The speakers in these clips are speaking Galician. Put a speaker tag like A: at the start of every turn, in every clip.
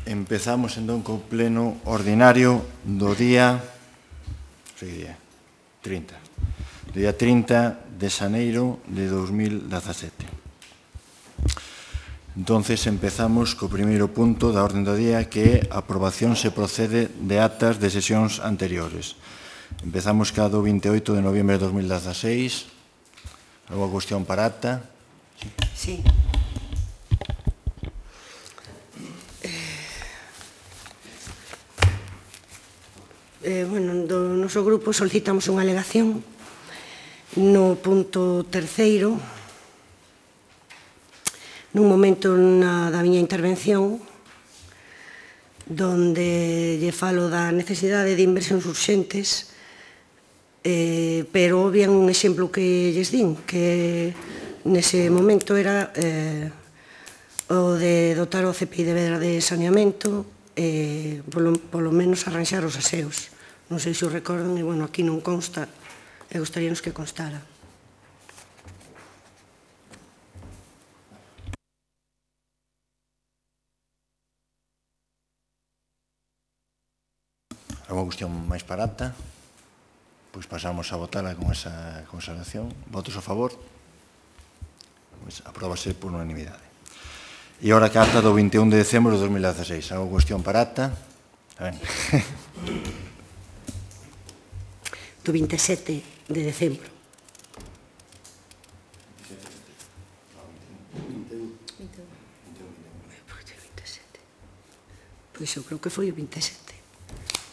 A: Empezamos entón co pleno ordinario do día 30 de xaneiro de 2017. Entonces empezamos co primeiro punto da orden do día, que é a aprobación se procede de actas de sesións anteriores. Empezamos ca do 28 de noviembre de 2016. Alguna cuestión para acta?
B: Sí. Do noso grupo solicitamos unha alegación no punto terceiro, nun momento da miña intervención, donde lle falo da necesidade de inversións urxentes, pero obvian un exemplo que lles din, que nese momento era o de dotar o CPI de Vedra de saneamento, polo menos arranxar os aseos. Non sei se o recordan, e, bueno, aquí non consta, e gostaríanos que constara.
A: Alguna cuestión máis para acta? Pois pasamos a votala con esa consideración. Votos a favor? Pois apróbase por unanimidade. E ora que a acta do 21 de decembro de 2016. Alguna cuestión para acta?
B: Do 27 de decembro. Pois eu creo que foi o 27.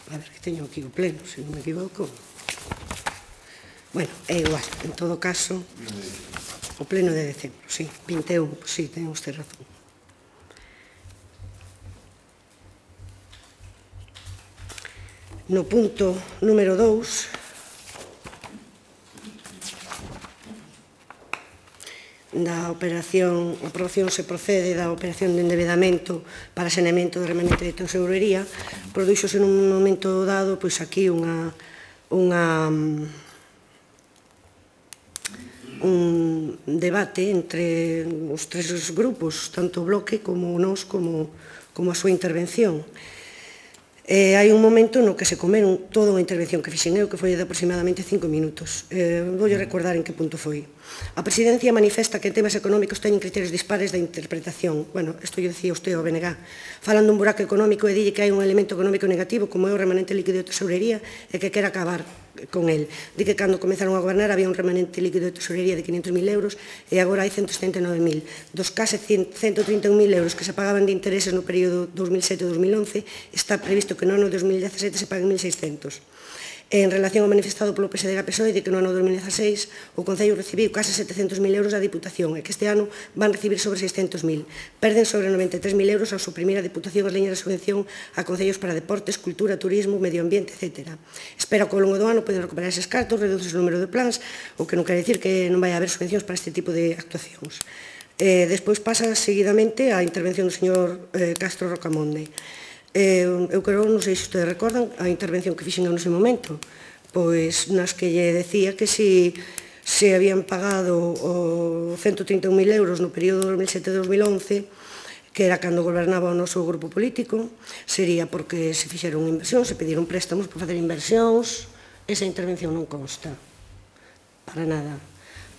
B: A ver, que teño aquí o pleno, se non me equivoco. Bueno, é igual, en todo caso, o pleno de decembro, sí, 21, sí, ten usted razón. No punto número 2, da operación, a aprobación se procede da operación de endevedamento para saneamento de remanente de tesorería, produxose nun momento dado, pois aquí un debate entre os tres grupos, tanto o Bloque como nós, como a súa intervención. Hai un momento no que se comeron toda unha intervención que fixen eu, que foi de aproximadamente 5 minutos. Voulle recordar en que punto foi. A Presidencia manifesta que en temas económicos teñen criterios dispares da interpretación. Bueno, isto lle dicía usted ao BNG. Falan dun buraco económico e dille que hai un elemento económico negativo como é o remanente líquido de tesorería e que quere acabar con el. Di que cando comenzaron a gobernar había un remanente líquido de tesorería de 500.000 euros e agora hai 179.000. Dos case 131.000 euros que se pagaban de intereses no período 2007-2011, está previsto que no ano 2017 se paguen 1.600. En relación ao manifestado polo PSDG-PSOE, de que no ano 2016 o Concello recibiu case 700.000 euros da Diputación e que este ano van recibir sobre 600.000. Perden sobre 93.000 euros ao suprimir a Diputación as liñas de subvención a concellos para deportes, cultura, turismo, medio ambiente, etc. Espera que ao longo do ano poden recuperar eses cartos, reduce o número de plans, o que non quere dicir que non vai haber subvencións para este tipo de actuacións. Despois pasa seguidamente a intervención do señor Castro Rocamonde. Eu creo, non sei se ustedes recordan, a intervención que fixen nese momento, pois nas que lle decía que se habían pagado 131.000 euros no período 2007-2011, que era cando gobernaba o noso grupo político, sería porque se fixeron inversións, se pediron préstamos para facer inversións. Esa intervención non consta, para nada.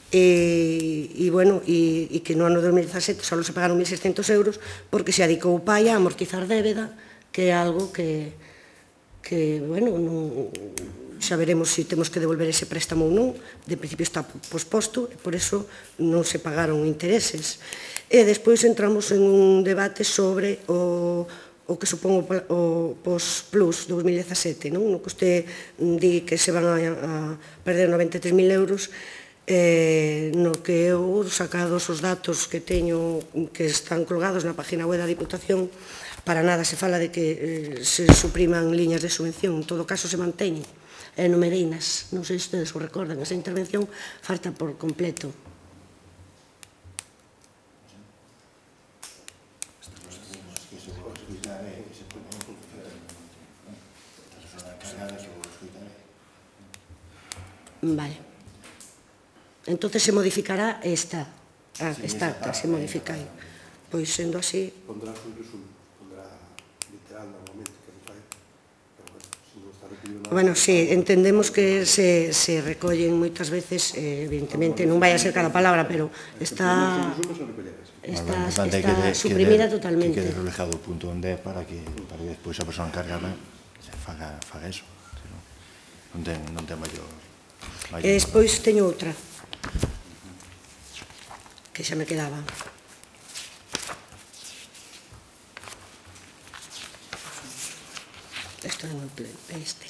B: E que no ano 2017 só se pagaron 1.600 euros porque se adicou o pai a amortizar débeda, que é algo que xa veremos se temos que devolver ese préstamo ou non. De principio está posposto e por iso non se pagaron intereses. E despois entramos en un debate sobre o que supón o post-plus 2017, no que usted di que se van a perder 93.000 euros, no que eu, sacados os datos que teño, que están colgados na página web da Diputación, para nada se fala de que se supriman liñas de subvención, en todo caso se manteñen numerinas. Non sei se ustedes o recordan, esa intervención falta por completo. Vale. Entonces se modificará esta acta, se modifica aí. Pois, sendo así...
C: Pondrá un resumen, pondrá literal normalmente, que non fai, pero bueno, se non está recollido nada...
B: Bueno, sí, entendemos que se recollen moitas veces, evidentemente, non vai a ser cada palabra, pero está suprimida totalmente.
A: Que quede reflejado o punto onde é para que despois a persoa encargada faga eso. Non ten maior...
B: E despois teño outra, que xa me quedaba. Isto non é este.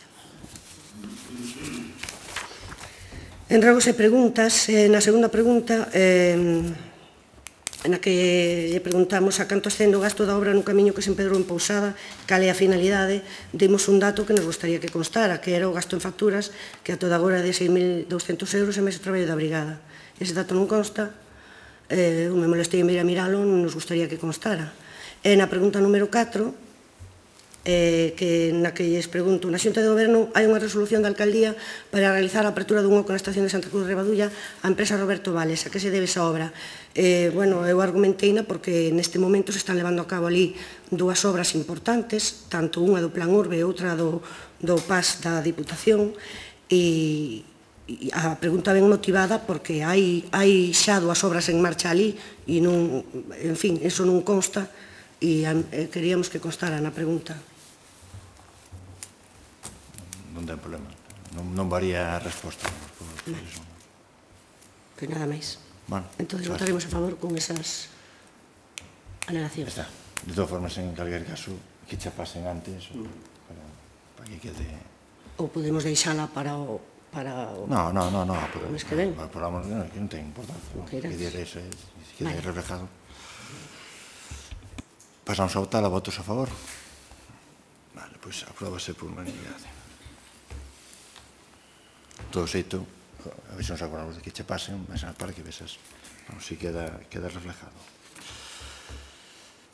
B: En rogos e preguntas, na segunda pregunta, na que lle preguntamos a canto ascende o gasto da obra no camiño que se empedrou en Pousada, cal é a finalidade, dimos un dato que nos gustaría que constara, que era o gasto en facturas, que a toda agora é de 6.200 euros e máis o traballo da brigada. Ese dato non consta, me molestei en vir a miralo, non nos gustaría que constara. E na pregunta número 4, na que lles pregunto, na Xunta de Goberno hai unha resolución da Alcaldía para realizar a apertura dun oco na estación de Santa Cruz de Rebadulla á empresa Roberto Vales. A que se debe esa obra? Bueno, eu argumenteina porque neste momento se están levando a cabo ali dúas obras importantes, tanto unha do Plan Urbe e outra do PAS da Diputación, e a pregunta ben motivada porque hai xa dúas obras en marcha ali e non, en fin, eso non consta e queríamos que constara na pregunta.
A: Non ten problema. Non varía a resposta.
B: Pois nada máis. Entón, votaremos a favor con esas alegacións.
A: Está. De todas formas, en calquer caso, que xa pasen antes para que quede...
B: Ou podemos deixala para o...
A: No,
B: mes que ven.
A: Que non ten importancia. Que quede reflejado. Pasamos a votar. A votos a favor. Vale, pois apróbase por unanimidade. Todo xeito, a ver se nos acordamos de que che pasen, mas para que vesas, si queda reflejado.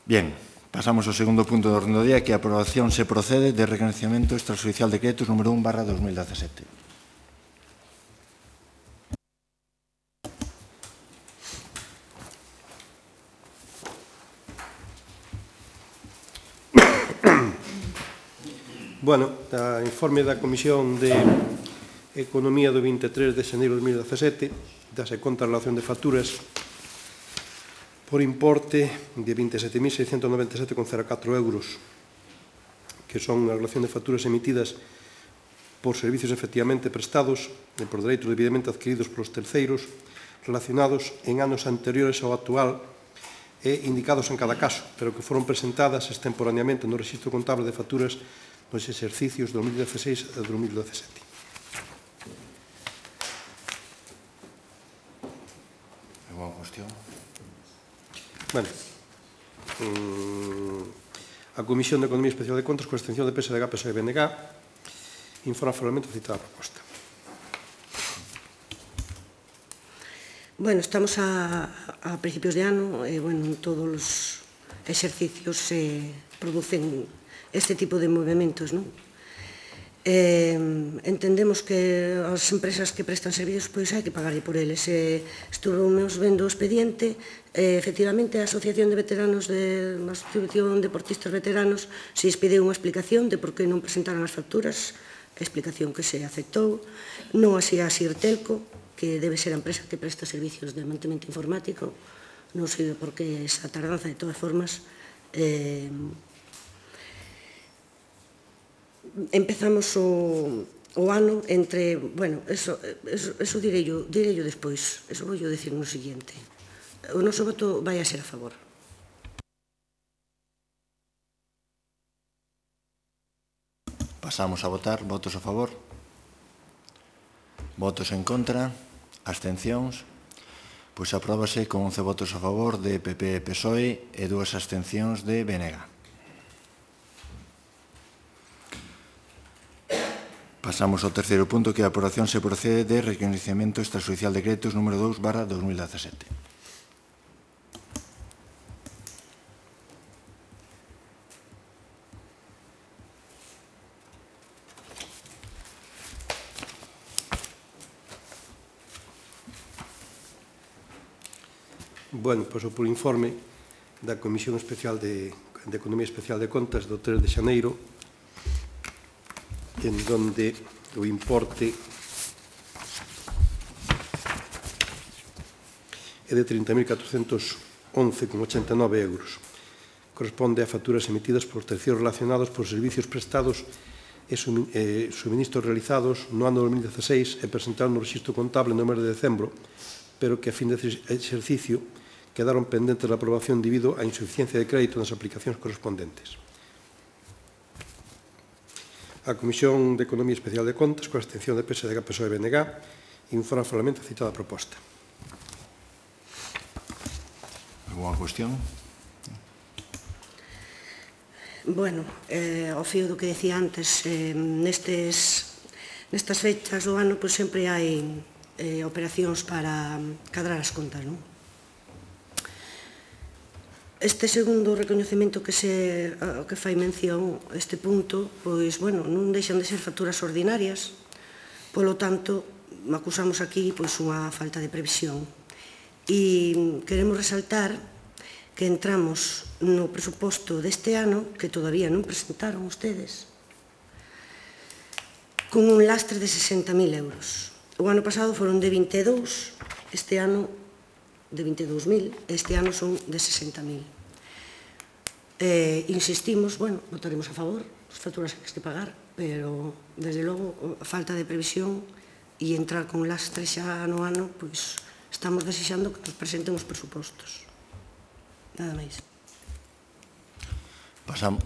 A: Bien, pasamos ao segundo punto do orden do día, que a aprobación se procede de reconhecimento extrajudicial de decretos número 1/2017.
C: Bueno, a informe da Comisión de Economía do 23 de xaneiro de 2017 dase conta a relación de facturas por importe de 27.697,04 euros, que son a relación de facturas emitidas por servicios efectivamente prestados e por dereitos debidamente adquiridos polos terceiros relacionados en anos anteriores ao actual e indicados en cada caso, pero que foron presentadas extemporaneamente no Rexistro Contable de Facturas nos exercicios 2016 e 2017. Bueno, a Comisión de Economía Especial de Contas, con extensión de PSDG, PSOE e BNG, informa favorablemente a citada proposta.
B: Bueno, estamos a principios de ano e, bueno, todos os exercicios se producen este tipo de movimentos, non? Entendemos que as empresas que prestan servicios pois hai que pagar por eles. Estuvemos vendo o expediente, efectivamente a Asociación de Veteranos a Asociación de Deportistas Veteranos se pediu unha explicación de por que non presentaron as facturas, a explicación que se aceptou, non así a Sirtelco, que debe ser a empresa que presta servicios de mantemento informático, non sei por que esa tardanza. De todas formas, empezamos o ano entre, bueno, eso direi yo despois, eso vou yo decir no siguiente. O noso voto vai a ser a favor.
A: Pasamos a votar. Votos a favor. Votos en contra. Abstencións. Pois apróbase con 11 votos a favor de PP e PSOE e 2 abstencións de BNG. Pasamos ao terceiro punto, que a aprobación se procede de reconhecimento extrajudicial de decretos número 2/2017.
C: Bueno, pois por informe da Comisión Especial de Economía Especial de Contas do 3 de xaneiro, en donde o importe é de 30.411,89 euros. Corresponde a facturas emitidas por terceiros relacionados por servicios prestados e suministros realizados no ano 2016 e presentados no rexistro contable no mes de decembro, pero que a fin de exercicio quedaron pendentes da aprobación debido á insuficiencia de crédito nas aplicacións correspondentes. A Comisión de Economía Especial de Contas, coa abstención de PSDG, PSOE e BNG, informa favorablemente a citada proposta.
A: Alguna cuestión?
B: Bueno, ao fío do que decía antes, nestas fechas do ano, sempre hai operacións para cadrar as contas, non? Este segundo recoñecemento que fai mención este punto, pois, bueno, non deixan de ser facturas ordinarias, polo tanto, acusamos aquí unha falta de previsión. E queremos resaltar que entramos no presuposto deste ano, que todavía non presentaron ustedes, con un lastre de 60.000 euros. O ano pasado foron de 22, este ano de 22.000, este ano son de 60.000. Insistimos, bueno, votaremos a favor, as facturas que hai que pagar, pero, desde logo, a falta de previsión e entrar con lastre xa no ano, pois, estamos desexando que nos presenten os presupostos. Nada máis.
A: Pasamos.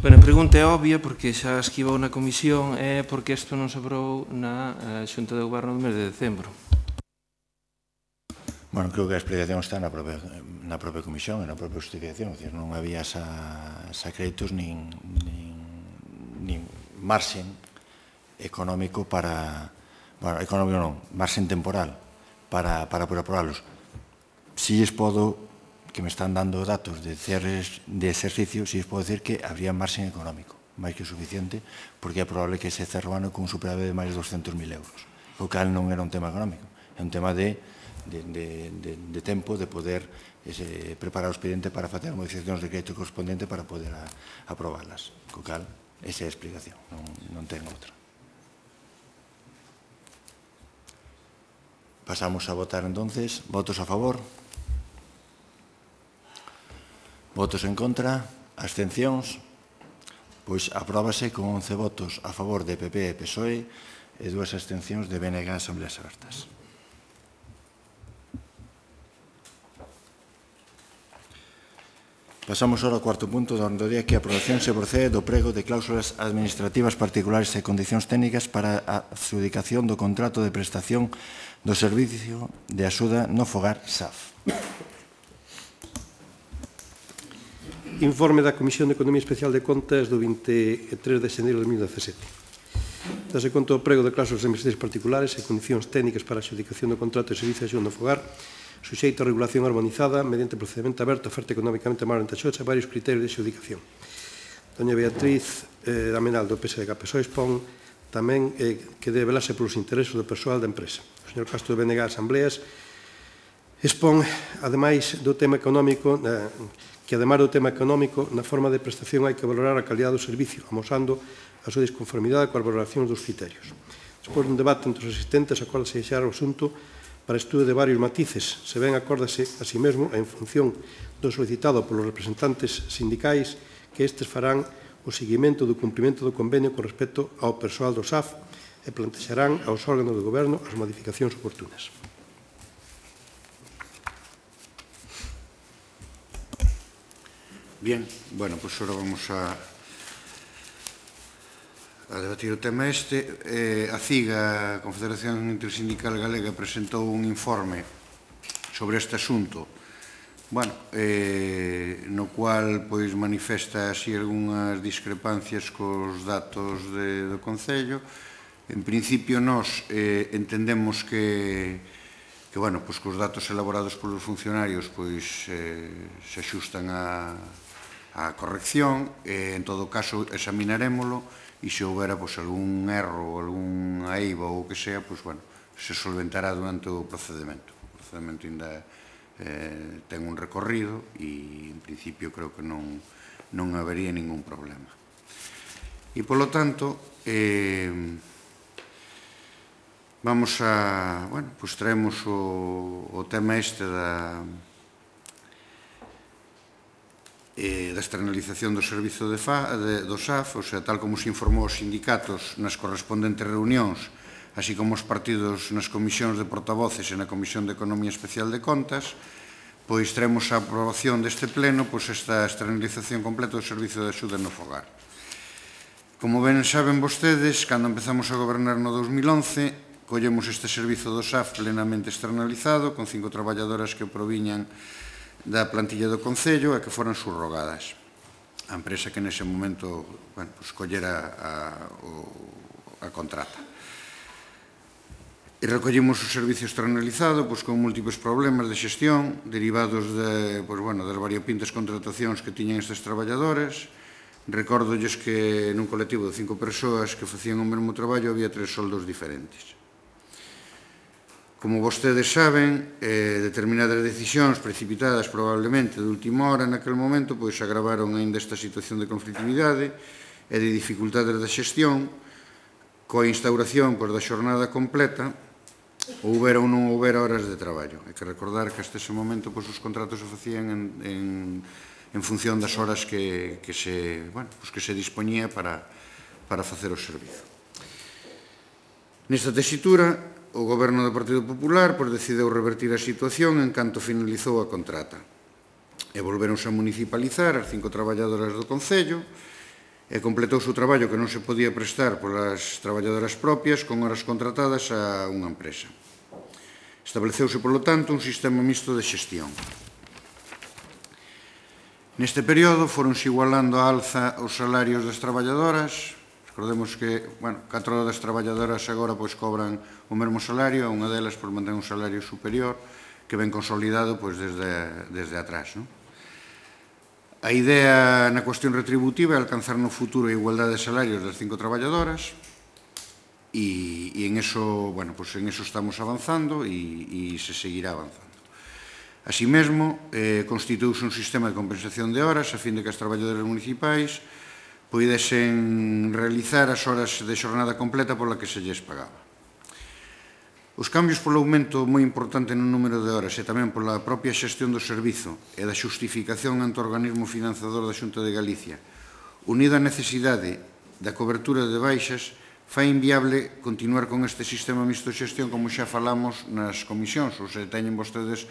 D: Bueno, a pregunta é obvia, porque xa esquivou na comisión, é porque isto non se aprobou na Xunta de Goberno do mes de decembro.
A: Bueno, creo que a explicación está na propia comisión e na propia justificación. Non había xa créditos nin marxen económico para... Bueno, económico non, marxen temporal para poder aprobalos. Si lles podo, que me están dando datos de cierres de exercicio, si lles podo decir que habría marxen económico, máis que suficiente, porque é probable que se cerre o ano con un superávit de máis de 200.000 euros. O cal non era un tema económico, é un tema de tempo, de poder preparar o expediente para facer modificacións de crédito correspondente para poder aprobalas. O cal, esa é a explicación, non ten outra. Pasamos a votar entonces. Votos a favor. Votos en contra. Abstencións. Pois apróbase con 11 votos a favor de PP e PSOE e 2 abstencións de BNG en Asambleas Abertas. Pasamos ahora ao cuarto punto da orde do día, que a aprobación se procede do prego de cláusulas administrativas particulares e condicións técnicas para a adxudicación do contrato de prestación do Servicio de Axuda no Fogar SAF.
C: Informe da Comisión de Economía Especial de Contas do 23 de xaneiro de 2017. Dase conta do prego de cláusulas administrativas particulares e condicións técnicas para a adxudicación do contrato de Servicio de Axuda no Fogar, suxeito a regulación armonizada mediante procedimento aberto, oferta económicamente máis vantaxosa e varios criterios de adxudicación. Doña Beatriz Damenal do PSDG PSOE expón tamén que debe velarse polos intereses do persoal da empresa. O señor Castro de BNG Asambleas expón, ademais do tema económico, que ademais do tema económico, na forma de prestación hai que valorar a calidad do servicio, amosando a súa disconformidade coas valoracións dos criterios. Despois dun debate entre os asistentes, acórdase deixar o asunto para estudo de varios matices, se ben acórdase a si mesmo en función do solicitado polos representantes sindicais que estes farán o seguimento do cumprimento do convenio con respecto ao persoal do SAF e plantexarán aos órganos do Goberno as modificacións oportunas.
E: Bien, bueno, pues ahora vamos a debatir o tema este. A CIGA, a Confederación Intersindical Galega, presentou un informe sobre este asunto, bueno, no cual pois manifesta así algunhas discrepancias cos datos do Concello. En principio, nós entendemos que bueno, pois que os datos elaborados polos funcionarios pois se axustan á corrección. En todo caso, examinarémolo e se houbera pois algún erro, algunha eiva ou o que sea, pois, bueno, se solventará durante o procedimento. O procedimento ainda ten un recorrido e, en principio, creo que non habería ningún problema. E, polo tanto, vamos a... Bueno, pois traemos o tema este da externalización do servizo do SAF, ou sea, tal como se informou os sindicatos nas correspondentes reunións, así como os partidos nas comisións de portavoces e na Comisión de Economía Especial de Contas, pois traemos a aprobación deste pleno esta externalización completa do servizo de axuda no fogar. Como ben saben vostedes, cando empezamos a gobernar no 2011, collemos este servizo do SAF plenamente externalizado, con 5 traballadoras que proviñan da plantilla do Concello e que foran subrogadas. A empresa que nese momento collera a contrata. E recollimos o servicio externalizado con múltiples problemas de xestión derivados das variopintas contratacións que tiñan estes traballadores. Recórdolles que nun colectivo de 5 persoas que facían o mesmo traballo había 3 soldos diferentes. Como vostedes saben, determinadas decisións precipitadas probablemente de última hora naquele momento pois agravaron aínda esta situación de conflitividade e de dificultades da xestión coa instauración da xornada completa houbera ou non houbera horas de traballo. Hai que recordar que hasta ese momento os contratos se facían en función das horas que se dispoñía para facer o servizo. Nesta tesitura, o Goberno do Partido Popular decideu revertir a situación en canto finalizou a contrata e volveronse a municipalizar as 5 traballadoras do Concello e completouse o traballo que non se podía prestar polas traballadoras propias con horas contratadas a unha empresa. Estableceuse, polo tanto, un sistema mixto de xestión. Neste período foronse igualando a alza os salarios das traballadoras. Recordemos que 4 das traballadoras agora cobran o mesmo salario, a unha delas mantén un salario superior que ven consolidado desde atrás. A idea na cuestión retributiva é alcanzar no futuro a igualdade de salarios das 5 traballadoras e en eso estamos avanzando e se seguirá avanzando. Así mesmo, constituíuse un sistema de compensación de horas a fin de que as traballadoras municipais poidesen realizar as horas de xornada completa pola que se lles pagaba. Os cambios polo aumento moi importante no número de horas e tamén pola propia xestión do servizo e da xustificación ante o organismo financiador da Xunta de Galicia, unido á necesidade da cobertura de baixas, fai inviable continuar con este sistema mixto de xestión como xa falamos nas comisións, ou se teñen vostedes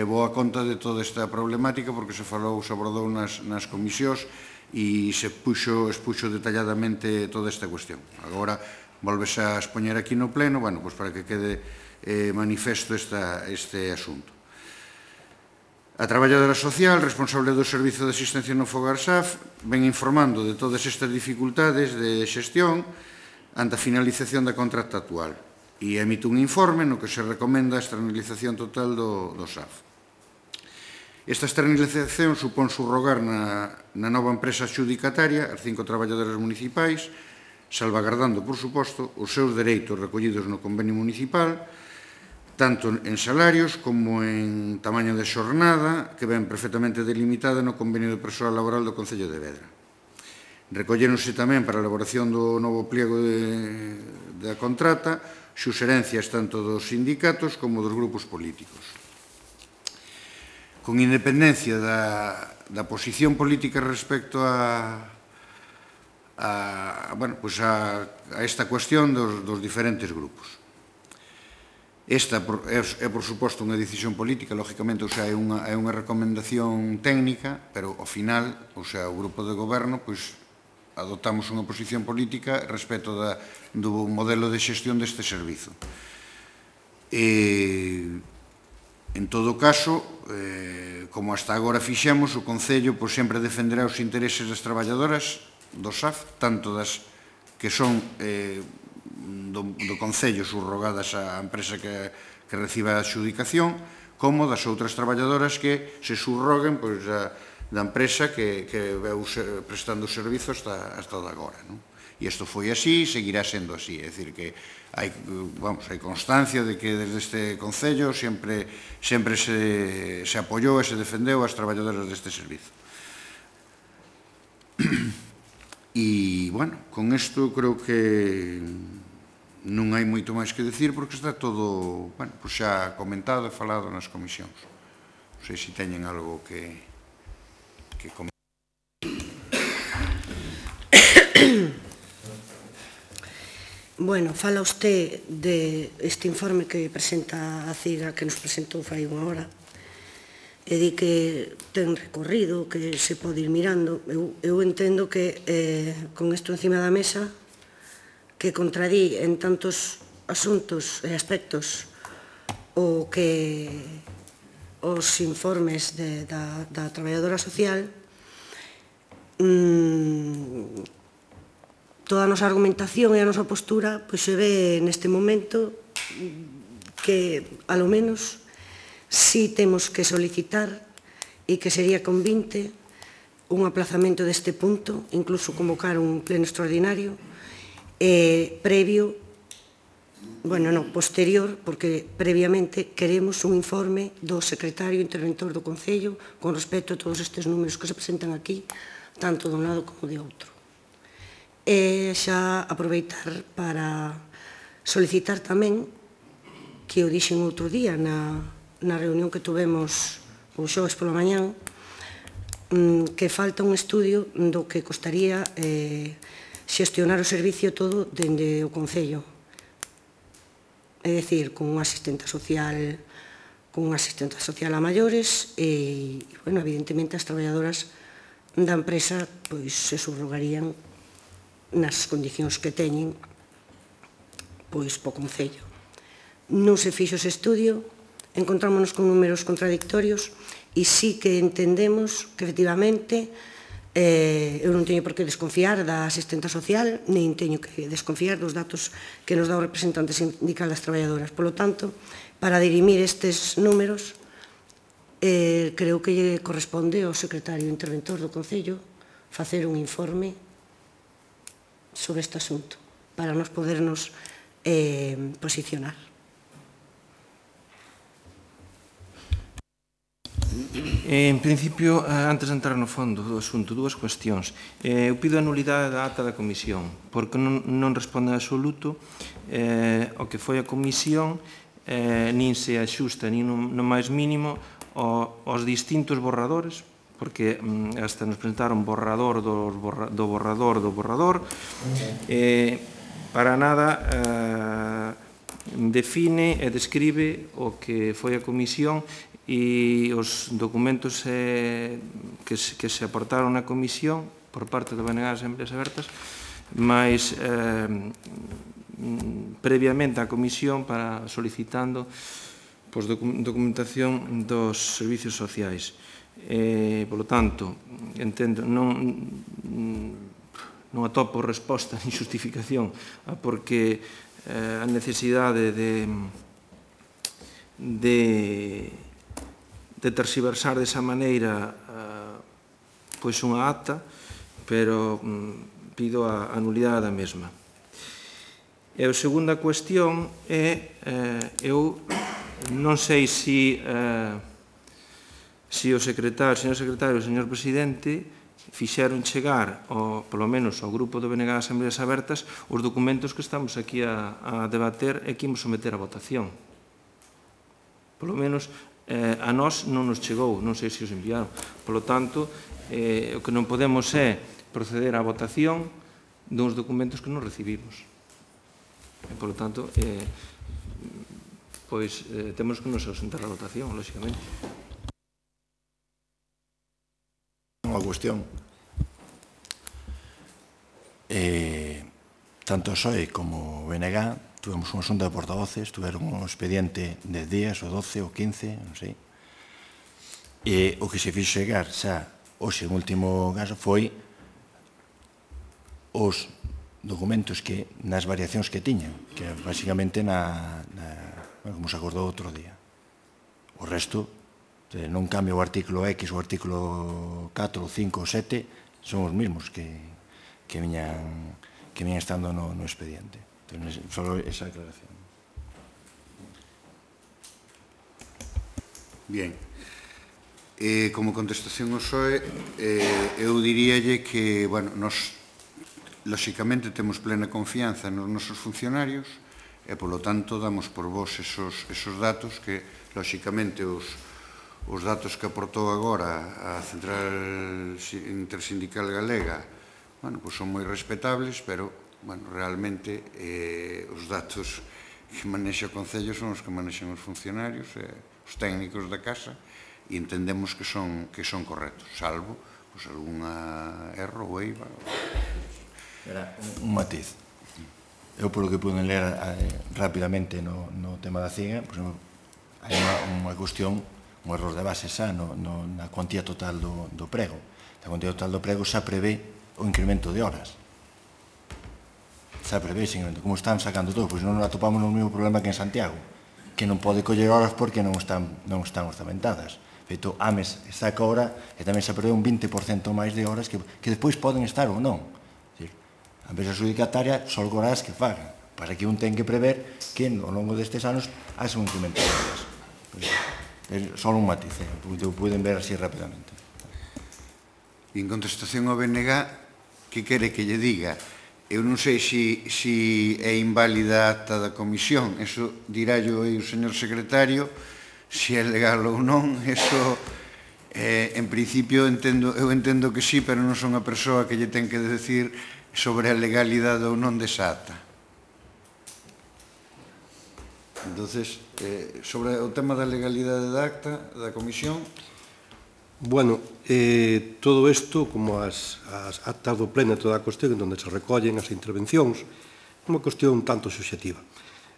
E: boa conta de toda esta problemática porque se abordou nas comisións e se expuxo detalladamente toda esta cuestión. Agora, volves a expoñer aquí no pleno, para que quede manifesto este asunto. A traballadora social, responsable do Servizo de Asistencia no Fogar SAF, ven informando de todas estas dificultades de xestión ante a finalización da contrata actual e emite un informe no que se recomenda a externalización total do SAF. Esta externalización supón subrogar na nova empresa adxudicataria as 5 traballadoras municipais, salvagardando, por suposto, os seus dereitos recollidos no convenio municipal, tanto en salarios como en tamaño de xornada, que ven perfectamente delimitada no convenio de persoal laboral do Concello de Vedra. Recolléronse tamén para a elaboración do novo pliego da contrata suxerencias tanto dos sindicatos como dos grupos políticos. Con independencia da posición política respecto a esta cuestión dos diferentes grupos. Esta é, por suposto, unha decisión política, lógicamente, é unha recomendación técnica, pero, ao final, o grupo de goberno, adoptamos unha posición política respecto do modelo de xestión deste servizo. En todo caso, como hasta agora fixemos, o Concello sempre defenderá os intereses das traballadoras do SAF, tanto das que son do Concello subrogadas á empresa que reciba a adxudicación, como das outras traballadoras que se subroguen da empresa que veu prestando o servizo hasta agora. E isto foi así e seguirá sendo así. É dicir, que hai constancia de que desde este Concello sempre se apoiou e se defendeu as traballadoras deste servizo. E, bueno, con isto creo que non hai moito máis que decir porque está todo, bueno, pues xa comentado e falado nas comisións. Non sei se teñen algo que comentar.
B: Bueno, fala usted deste informe que presenta a CIGA, que nos presentou fai unha hora, e di que ten recorrido, que se pode ir mirando. Eu entendo que con isto encima da mesa, que contradí en tantos asuntos e aspectos o que os informes da traballadora social, toda a nosa argumentación e a nosa postura se ve neste momento que, alo menos, si temos que solicitar e que sería convinte un aplazamento deste punto, incluso convocar un pleno extraordinario previo, bueno, non, posterior, porque previamente queremos un informe do secretario interventor do Concello con respecto a todos estes números que se presentan aquí, tanto de un lado como de outro. E xa aproveitar para solicitar tamén, que o dixen outro día na reunión que tuvemos o xoves pola mañán, que falta un estudio do que costaría xestionar o servicio todo dende o Concello. É dicir, con unha asistenta social a maiores e, bueno, evidentemente as traballadoras da empresa se subrogarían nas condicións que teñen po Concello. Non se fixo ese estudio, encontrámonos con números contradictorios e sí que entendemos que, efectivamente, eu non teño por que desconfiar da asistenta social, nin teño que desconfiar dos datos que nos dá o representante sindical das traballadoras. Por lo tanto, para dirimir estes números, creo que lle corresponde ao secretario interventor do Concello facer un informe sobre este asunto, para nos podernos posicionar.
D: En principio, antes de entrar no fondo do asunto, dúas cuestións. Eu pido a nulidade da ata da comisión, porque non responde en absoluto ao que foi a comisión, nin se axusta, nin no máis mínimo, aos distintos borradores, porque hasta nos presentaron borrador do borrador, para nada define e describe o que foi a comisión e os documentos que se aportaron na comisión por parte do BNG das Asambleas Abertas, máis previamente a comisión para solicitando documentación dos servicios sociais. Por lo tanto, entendo, non atopo resposta ni xustificación a porque a necesidade de terxiversar desa maneira pois unha acta, pero pido a nulidade da mesma. E a segunda cuestión é, eu non sei se o señor secretario, o señor presidente, fixeron chegar, polo menos ao grupo do BNG das Asambleas Abertas, os documentos que estamos aquí a debater e que imos someter a votación. Polo menos a nós non nos chegou, non sei se os enviaron. Por lo tanto, o que non podemos é proceder á votación duns documentos que non recibimos. Por lo tanto, pois temos que nos ausentar a votación, lóxicamente.
A: Unha cuestión. Tanto SOE como o BNG tuvemos unha xunta de portavoces, tuveron un expediente de 10 días, ou 12, ou 15, non sei. E o que se fixo chegar xa, hoxe, en último caso, foi os documentos que, nas variacións que tiñan, que basicamente como se acordou outro día. O resto, non cambia o artículo X, o artículo 4, 5 ou 7, son os mesmos que que viene estando no expediente. Entonces, solo esa aclaración.
E: Bien. Como contestación ao PSOE, eu diríalle que, bueno, nos, lóxicamente, temos plena confianza nos nosos funcionarios e, polo tanto, damos por vos esos datos que, lóxicamente, os datos que aportou agora a Central Intersindical Galega, bueno, pois son moi respetables, pero, bueno, realmente, os datos que manexa o Concello son os que manexan os funcionarios e os técnicos da casa, e entendemos que son correctos, salvo pues, alguna erro ou eiva.
A: Un matiz. Eu, polo que pude ler rapidamente no tema da CIGA, pues, hai unha cuestión, un error de base xa na cuantía total do prego. A cuantía total do prego xa prevé o incremento de horas. Xa prevé ese incremento. Como están sacando todo? Pois non atopamos no mesmo problema que en Santiago, que non pode coller horas porque non están orzamentadas. Feito, AMES saca hora e tamén se prevé un 20% máis de horas que despois poden estar ou non. A empresa adjudicataria só horas que fagan. Para que un ten que prever que ao longo destes anos haxe un incremento de horas. É só un matiz, porque o poden ver así rapidamente.
E: En contestación ao BNG, que quere que lle diga? Eu non sei se é inválida a acta da comisión, eso dirallo aí o señor secretario, se é legal ou non, eso, en principio, eu entendo que sí, pero non son a persoa que lle ten que decir sobre a legalidade ou non desa acta. Entonces, sobre o tema da legalidade da acta da comisión...
C: Bueno, todo isto, como as actas do pleno e toda a cuestión onde se recollen as intervencións, é unha cuestión un tanto subxectiva.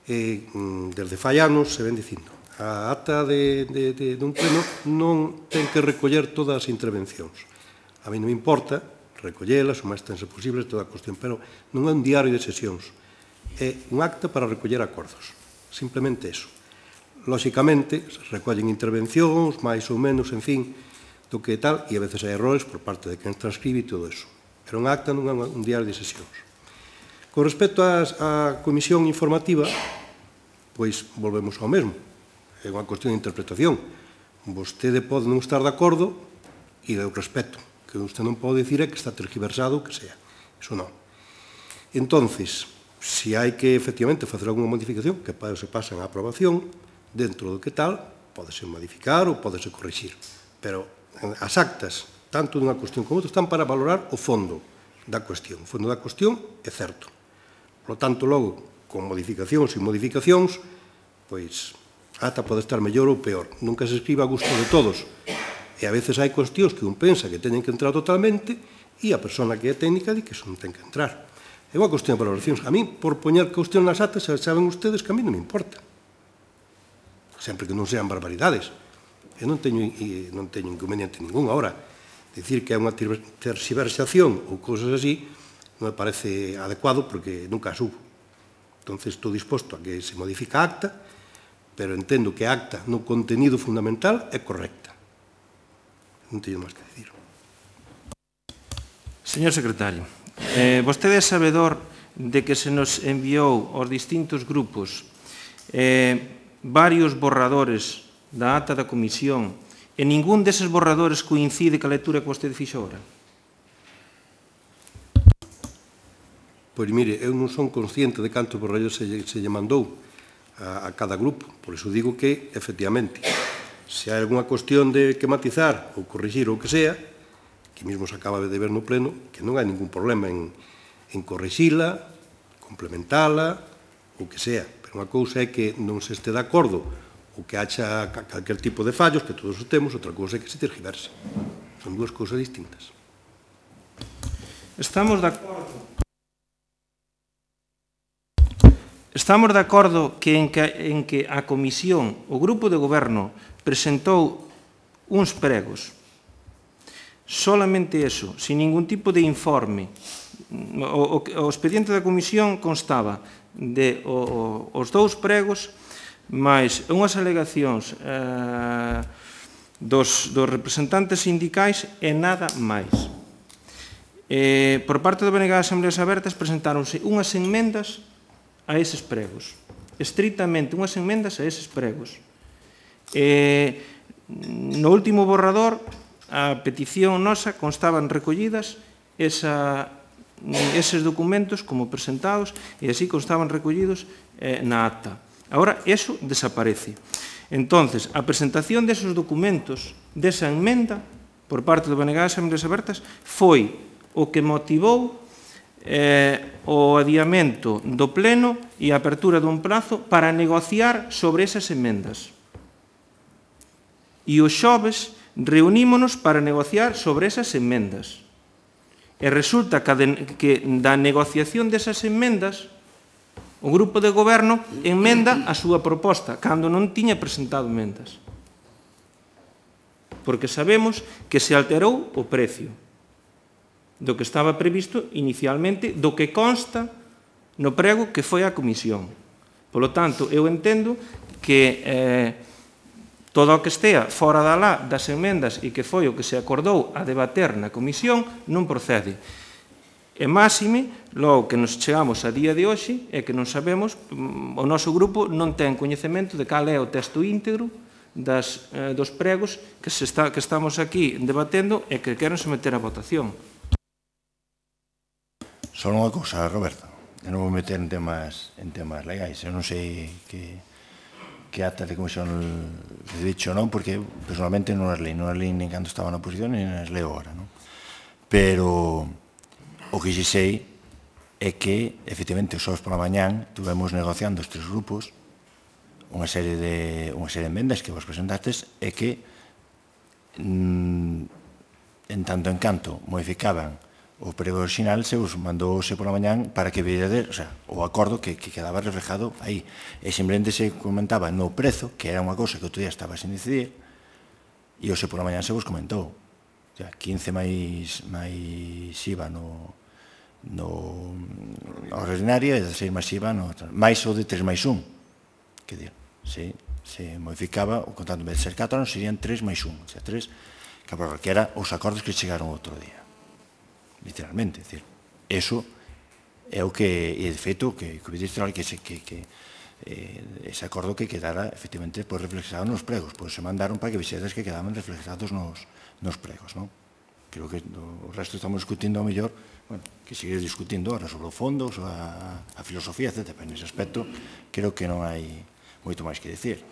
C: Desde fai anos se ven dicindo a acta dun pleno non ten que recoller todas as intervencións. A mí non me importa recollelas o máis tense posible toda a cuestión, pero non é un diario de sesións, é un acta para recoller acordos, simplemente eso. Lóxicamente, se recollen intervencións, máis ou menos, en fin, do que tal, e a veces hai errores por parte de quen transcribe e todo eso. Pero un acta non é un diario de sesións. Con respecto á comisión informativa, pois volvemos ao mesmo. É unha cuestión de interpretación. Vostede pode non estar de acordo e eu respeto. Que usted non pode dicir é que está tergiversado o que sea. Iso non. Entonces, se hai que efectivamente facer alguna modificación que se pasa en aprobación, dentro do que tal, podese modificar ou podese corrixir. Pero as actas, tanto dunha cuestión como outra, están para valorar o fondo da cuestión. O fondo da cuestión é certo. Por lo tanto, logo, con modificacións e modificacións, pois, ata pode estar mellor ou peor. Nunca se escribe a gusto de todos. E a veces hai cuestións que un pensa que teñen que entrar totalmente e a persona que é técnica di que iso non ten que entrar. É unha cuestión de valoracións. A mí, por poñer cuestión nas actas, saben ustedes que a mí non me importa. Sempre que non sean barbaridades. Eu non teño inconveniente ningún. Ahora, dicir que é unha terxiversación ou cousas así non me parece adecuado porque nunca as hubo. Entón, estou disposto a que se modifique a acta, pero entendo que a acta no contenido fundamental é correcta. Non teño máis que dicir.
D: Señor secretario, vostede é sabedor de que se nos enviou aos distintos grupos varios borradores da acta da comisión e ningún deses borradores coincide ca lectura que vostede fixo agora?
C: Pois mire, eu non son consciente de cantos borradores se lle mandou a cada grupo, por iso digo que, efectivamente, se hai alguna cuestión de que matizar ou corrigir ou que sea, que mesmo se acaba de ver no pleno, que non hai ningún problema en corrixila, complementala, ou que sea. Pero unha cousa é que non se este de acordo ou que haxa calquer tipo de fallos, que todos os temos, outra cousa é que se tergiverse. Son dúas cousas distintas.
D: Estamos de acordo. Estamos de acordo que en que a comisión, o grupo de goberno, presentou uns pregos. Solamente eso, sin ningún tipo de informe. O expediente da comisión constaba de os dous pregos máis unhas alegacións dos representantes sindicais e nada máis. Por parte do BNG das Asambleas Abertas presentáronse unhas enmendas a eses pregos, estritamente unhas enmendas a eses pregos. No último borrador, a petición nosa constaban recollidas eses documentos como presentados e así constaban recollidos na acta. Agora, eso desaparece. Entonces, a presentación desos documentos, desa enmenda, por parte do BNG das Asambleas Abertas, foi o que motivou o adiamento do pleno e a apertura dun prazo para negociar sobre esas enmendas. E os xoves reunímonos para negociar sobre esas enmendas. E resulta que da negociación desas enmendas o grupo de goberno enmenda a súa proposta, cando non tiña presentado enmendas. Porque sabemos que se alterou o precio do que estaba previsto inicialmente, do que consta no prego que foi á comisión. Polo tanto, eu entendo que todo o que estea fora das enmendas e que foi o que se acordou a debater na comisión non procede. E máxime, logo que nos chegamos a día de hoxe, é que non sabemos, o noso grupo non ten coñecemento de cal é o texto íntegro dos pregos que estamos aquí debatendo e que queren someter a votación.
A: Só unha cousa, Roberto, eu non vou meter en temas legais, eu non sei que acta de comisión de dicho ou non, porque personalmente non as leí nin cando estaba na oposición, nin as leo agora, non? Pero o que xe sei é que, efectivamente, os xoves pola mañán tuvemos negociando os tres grupos unha serie de enmendas que vos presentastes e que en tanto en canto modificaban o prego original se os mandouse pola mañán para que veredes, o sea, o acordo que quedaba reflejado aí. E simplemente se comentaba no prezo, que era unha cousa que outro día estaba sin decidir, e hoxe pola mañán se vos comentou. O sea, 15 máis IVA no ordinario e 16 máis IVA máis o de 3 máis 1. Que dir, se modificaba o contrato, en vez de ser 4 anos, serían 3 máis 1. O sea, 3, que era os acordos que chegaron outro día. Literalmente, é dicir, eso é o que, e de feito, que o Ministro que ese acordo que quedara efectivamente reflexado nos pregos, pois se mandaron para que vixedes que quedaban reflexados nos pregos, non? Creo que o resto estamos discutindo ao mellor, bueno, que seguir discutindo ahora sobre o fondo, sobre a filosofía, etc. Pero nese aspecto creo que non hai moito máis que dicir.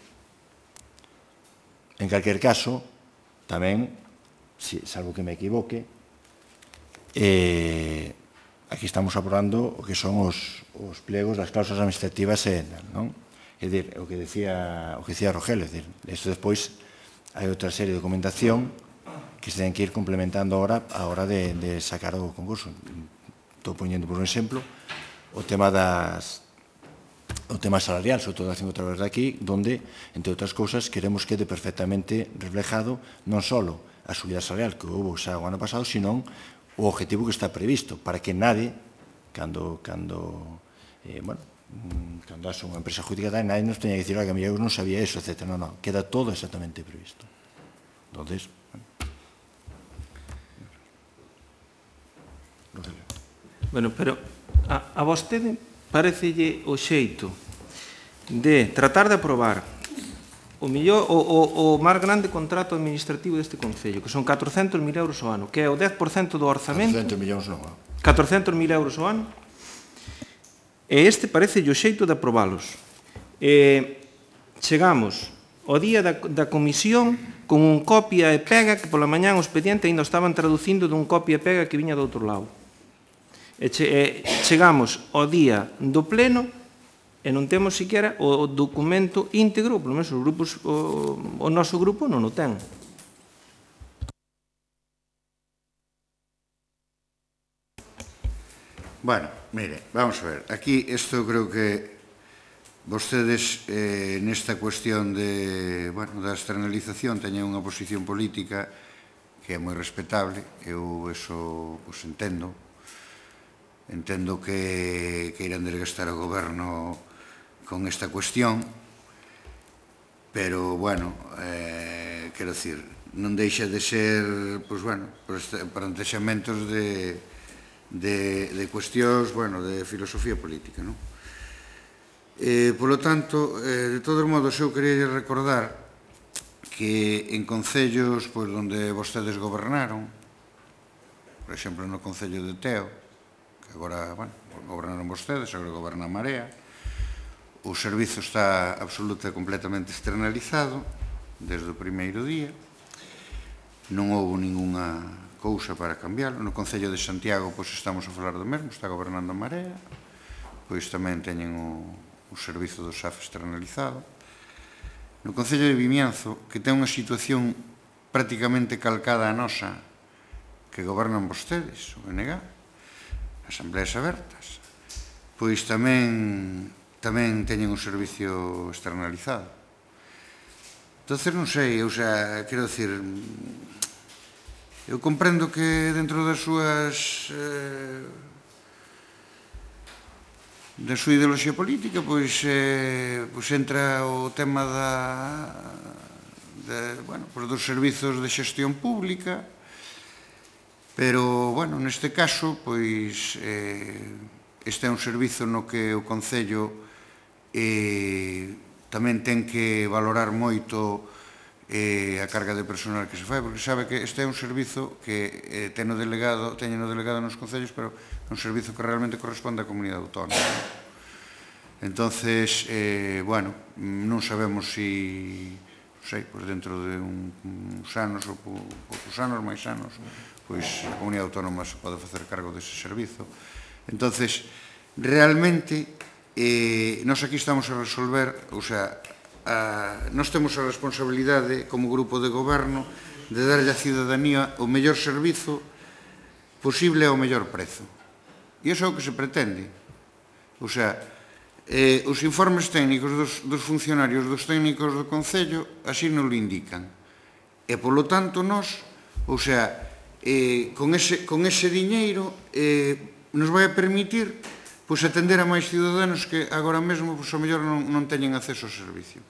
A: En calquer caso, tamén, salvo que me equivoque, aquí estamos aprobando o que son os plegos das cláusulas administrativas, non? É dicir, o que decía Rogelio, é dicir, isto despois hai outra serie de documentación que se ten que ir complementando agora a hora de sacar o concurso. Estou poñendo por un exemplo o tema salarial, sobre todo haciendo outra vez de aquí, donde, entre outras cousas, queremos que quede perfectamente reflejado non só a subida salarial que houve xa o ano pasado, sino o objetivo que está previsto, para que nadie, cando haxe unha empresa adjudicataria, nadie nos teña que dicir que eu non sabía eso, etc. Non, queda todo exactamente previsto. Entonces,
D: bueno, pero a vostede parecelle o xeito de tratar de aprobar o máis grande contrato administrativo deste Concello, que son 400.000 euros ao ano, que é o 10% do orzamento.
A: 400 millóns non.
D: 400.000 euros ao ano. E este parece o xeito de aprobalos. Chegamos ao día da comisión con un copia e pega que pola mañán o expediente ainda estaban traducindo dun copia e pega que viña do outro lado. Chegamos ao día do pleno e non temos siquiera o documento íntegro, polo menos o noso grupo non o ten.
E: Bueno, mire, vamos a ver. Aquí, isto creo que vostedes nesta cuestión da externalización teñen unha posición política que é moi respetable. Eu eso entendo. Entendo que irán desgastar o goberno con esta cuestión, pero, bueno, quero dicir, non deixa de ser, pois, bueno, plantexamentos de de cuestións, bueno, de filosofía política, non? Polo tanto, de todos modos, eu queria recordar que en concellos onde vostedes gobernaron, por exemplo, no Concello de Teo, que agora, bueno, gobernaron vostedes, agora goberna a Marea, o servizo está absoluta e completamente externalizado desde o primeiro día, non houve ninguna cousa para cambiarlo. No Concello de Santiago, pois estamos a falar do mesmo, está gobernando a Marea, pois tamén teñen o servizo do SAF externalizado. No Concello de Vimianzo, que ten unha situación prácticamente calcada a nosa, que gobernan vostedes, o BNG, asambleas abertas, pois tamén teñen un servicio externalizado. Entón, non sei, quero dicir, eu comprendo que dentro das súas da súa ideoloxía política, pois entra o tema dos servizos de xestión pública, pero, bueno, neste caso, pois, este é un servizo no que o Concello tamén ten que valorar moito a carga de personal que se fai, porque sabe que este é un servizo que teñen delegado nos concellos, pero é un servizo que realmente corresponde á comunidade autónoma. Entonces, bueno, non sabemos si, non sei, pois dentro de uns anos ou poucos anos, máis anos, pois a comunidade autónoma se pode facer cargo dese servizo. Entonces, realmente, nós aquí estamos a resolver, nós temos a responsabilidade como grupo de goberno de darlle á ciudadanía o mellor servizo posible ao mellor prezo. E iso é o que se pretende. Os informes técnicos dos funcionarios, dos técnicos do Concello, así nos lo indican. E, polo tanto, nós, con ese diñeiro, nos vai a permitir atender a máis ciudadanos que agora mesmo, ao mellor, non teñen acceso ao servicio.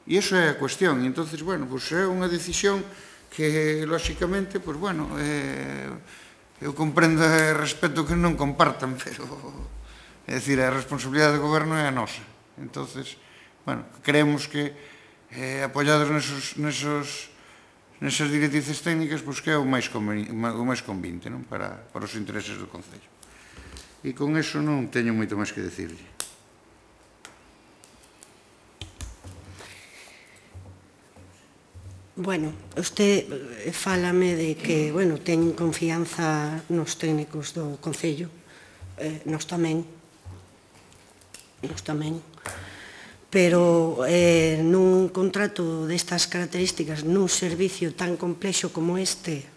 E: E iso é a cuestión. E, entón, bueno, é unha decisión que, lóxicamente, eu comprendo e respeto que non compartan, pero, é dicir, a responsabilidade do goberno é a nosa. Entón, bueno, creemos que, apoiados nesas directrices técnicas, que é o máis convinte para os intereses do Concello. E con eso non teño moito máis que decirlle.
B: Bueno, usted fálame de que, bueno, ten confianza nos técnicos do Concello. Nos tamén. Pero nun contrato destas características, nun servicio tan complexo como este,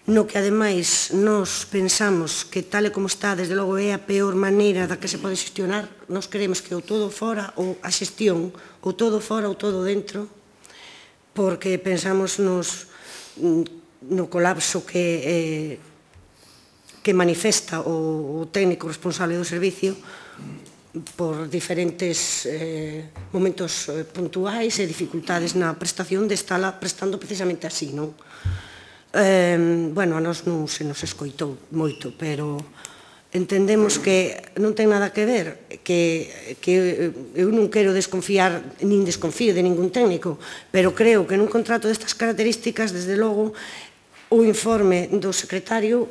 B: no que, ademais, nos pensamos que, tal e como está, desde logo, é a peor maneira da que se pode xestionar, nos queremos que o todo fora, ou a xestión, ou todo fora ou todo dentro, porque pensamos no colapso que manifesta o técnico responsable do servicio por diferentes momentos puntuais e dificultades na prestación de estarla prestando precisamente así, non? Bueno, a nós non se nos escoitou moito, pero entendemos que non ten nada que ver, que eu non quero desconfiar, nin desconfío de ningún técnico, pero creo que nun contrato destas características, desde logo, o informe do secretario,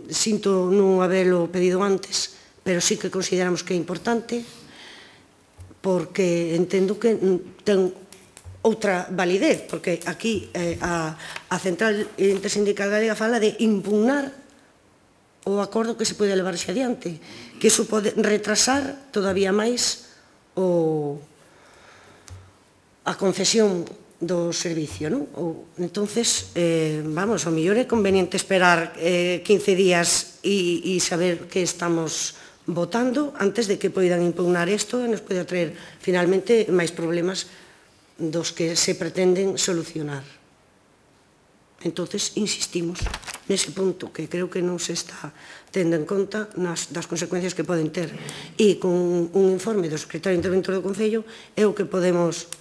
B: sinto non habelo pedido antes, pero sí que consideramos que é importante, porque entendo que ten outra validez, porque aquí a Central Intersindical Galega fala de impugnar o acordo que se pode levar xe adiante, que iso pode retrasar todavía máis a concesión do servicio, non? Entonces, vamos, ao mellor é conveniente esperar 15 días e saber que estamos votando antes de que poidan impugnar isto e nos poida traer finalmente máis problemas dos que se pretenden solucionar. Entonces, insistimos nese punto, que creo que non se está tendo en conta das consecuencias que poden ter. E con un informe do secretario interventor do Concello é o que podemos,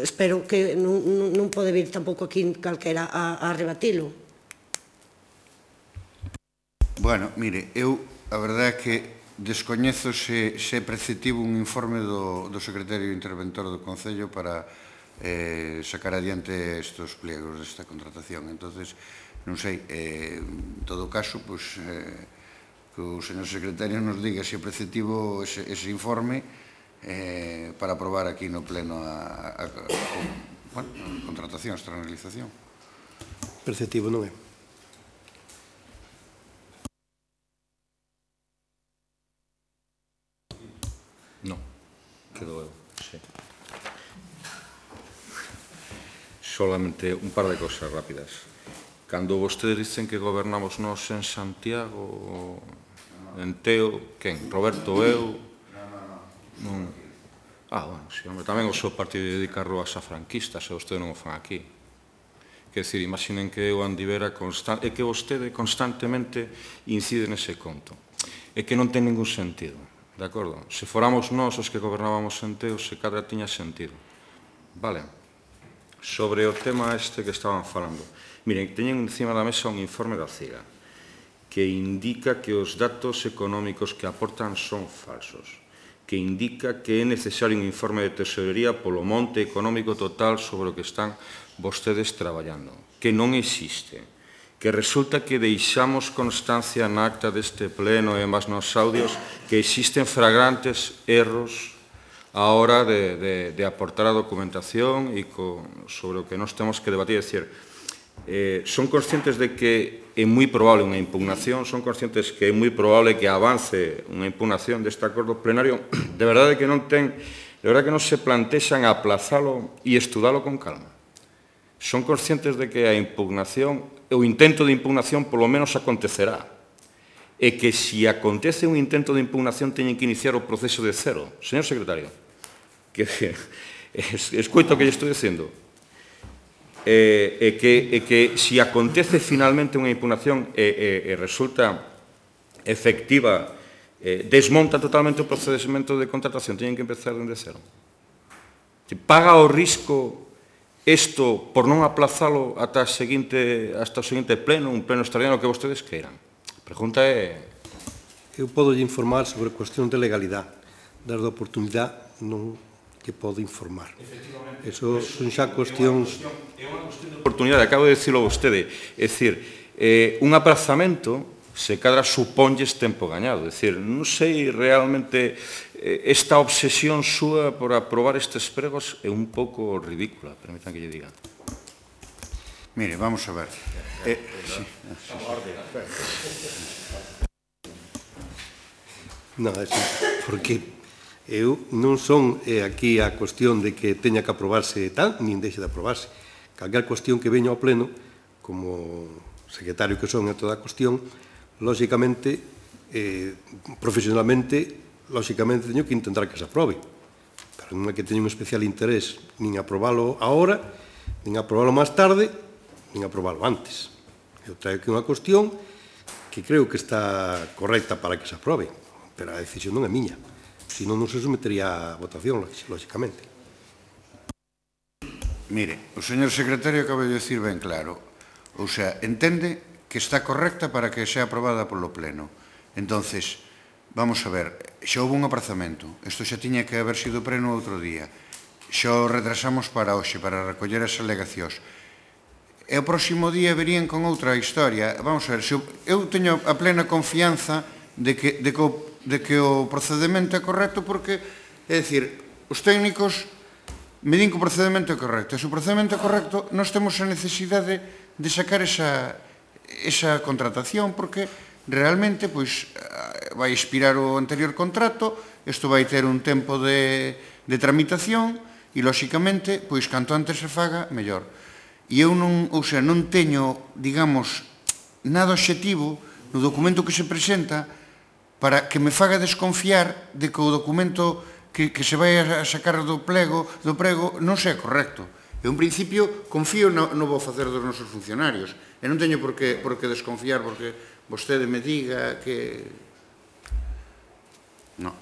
B: espero que non pode vir tampouco aquí calquera a rebatilo.
E: Bueno, mire, eu, a verdade é que descoñezo se é preceptivo un informe do secretario interventor do Concello para sacar adiante estes pliegos desta contratación. Entonces, non sei, en todo caso, que o señor secretario nos diga se é preceptivo ese informe para aprobar aquí no pleno a contratación, a externalización.
C: Perceptivo non é.
F: Non, quedo eu, sí. Solamente un par de cosas rápidas. Cando vostedes dicen que gobernamos nós en Santiago, en Teo, quen? Roberto, eu? Non. Bueno, sí, hombre, tamén o seu partido dedica rúas a franquistas, e vostedes non o fan aquí. Quer dizer, imaginen que eu andivera e que vostede constantemente incide nese conto. É que non ten ningún sentido. De acordo? Se fóramos nós os que gobernábamos en Teo, se cadra tiña sentido. Vale? Sobre o tema este que estaban falando. Miren, teñen encima da mesa un informe da CIGA que indica que os datos económicos que aportan son falsos, que indica que é necesario un informe de tesorería polo monte económico total sobre o que están vostedes traballando, que non existe, que resulta que deixamos constancia na acta deste pleno e máis nos audios que existen flagrantes erros a hora de aportar a documentación e sobre o que nós temos que debatir. É dicir, son conscientes de que é moi probable unha impugnación, son conscientes que é moi probable que avance unha impugnación deste acordo plenario, de verdade que non se plantexan aplazalo e estudalo con calma. Son conscientes de que a impugnación, o intento de impugnación, polo menos acontecerá. E que se acontece un intento de impugnación teñen que iniciar o proceso de cero. Señor secretario, que escoito o que lle estou dicindo. E que se acontece finalmente unha impugnación e resulta efectiva, desmonta totalmente o procedimento de contratación, teñen que empezar dende cero. Paga o risco isto por non aplazalo ata o seguinte pleno, un pleno extraordinario que vostedes queiran. A pregunta é...
C: Eu podo informar sobre cuestión de legalidade. Dada a oportunidade, non que podo informar. Eso son xa cuestións...
F: É unha cuestión de oportunidade, acabo de dicilo a vostede. É dicir, un aprazamento se cadra supónlles tempo gañado. É dicir, non sei realmente... Esta obsesión súa por aprobar estes pregos é un pouco ridícula, permitan que lle diga.
E: Mire, vamos a ver.
C: Non, porque eu non son aquí a cuestión de que teña que aprobarse tal, nin deixe de aprobarse. Calquer cuestión que veña ao pleno, como secretario que son en toda a cuestión, lóxicamente, profesionalmente, lóxicamente, teño que intentar que se aprobe. Pero non é que teño un especial interés nin aprobalo agora, nin aprobalo máis tarde, nin aprobalo antes. Eu traio aquí unha cuestión que creo que está correcta para que se aprobe, pero a decisión non é miña. Senón non se sometería a votación, lóxicamente.
E: Mire, o señor secretario acaba de decir ben claro. Ou sea, entende que está correcta para que sea aprobada polo pleno. Entonces, vamos a ver, xa houve un aprazamento. Isto xa tiña que haber sido pleno outro día. Xa o retrasamos para hoxe, para recoller as alegacións. E o próximo día verían con outra historia. Vamos a ver, eu teño a plena confianza de que o procedimento é correcto porque, é dicir, os técnicos me din que o procedimento é correcto. E se o procedimento é correcto, nós temos a necesidade de sacar esa contratación porque realmente vai expirar o anterior contrato, isto vai ter un tempo de tramitación e, lóxicamente, canto antes se faga, mellor. E eu non teño, digamos, nada obxectivo no documento que se presenta para que me faga desconfiar de que o documento que se vai a sacar do prego non sea correcto. Eu, en principio, confío no bo facer dos nosos funcionarios e non teño por que desconfiar porque vostede me diga que... Non.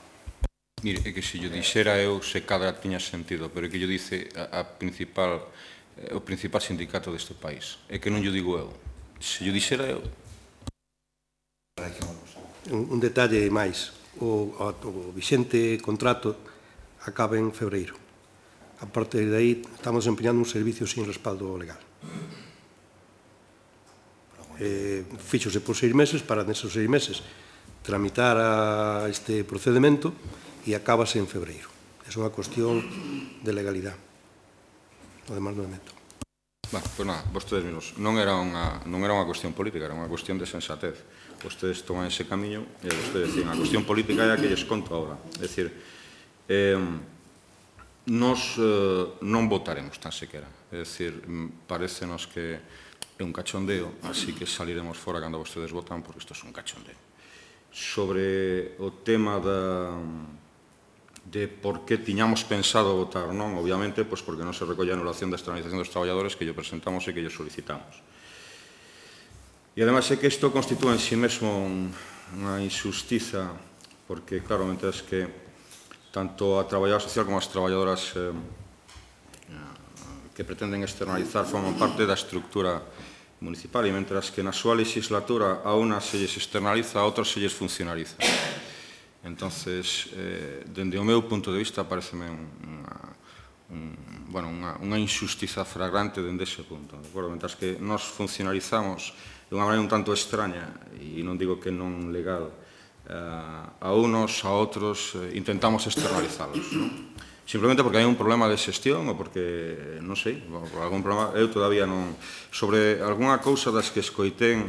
F: Mire, é que se yo dixera eu se cadra tiña sentido, pero é que yo dice o principal sindicato deste país. É que non yo digo eu. Se yo dixera eu...
C: un detalle máis. O vixente contrato acaba en febreiro. A partir de aí, estamos empeñando un servicio sin respaldo legal. Fíxose por 6 meses, para neses 6 meses tramitar este procedimento e acabase en febreiro. É unha cuestión de legalidade. O demás non é meto.
F: Bueno, pois nada, vostedes mesmos, non era unha cuestión política, era unha cuestión de sensatez. Vostedes toman ese camiño e vostedes dicen, a cuestión política é a que lles conto agora. É dicir, nos non votaremos tan sequera. É dicir, parecenos que é un cachondeo, así que saliremos fora cando vostedes votan, porque isto é un cachondeo. Sobre o tema de por que tiñamos pensado votar non, obviamente, pois porque non se recolle a anulación da externalización dos traballadores que lle presentamos e que lle solicitamos. E, ademais, é que isto constitúe en si mesmo unha injustiza, porque, claro, mentres que tanto a traballadora social como as traballadoras que pretenden externalizar forman parte da estructura municipal, e mentras que na súa legislatura a unas se lles externaliza, a outras se lles funcionaliza. Entonces, dende o meu punto de vista, pareceme unha injustiza fragrante dende ese punto. Mentras que nos funcionalizamos de unha maneira un tanto extraña, e non digo que non legal, a unos, a outros, intentamos externalizalos. Simplemente porque hai un problema de xestión ou porque, non sei, por algún problema, eu todavía non... Sobre algunha cousa das que escoitén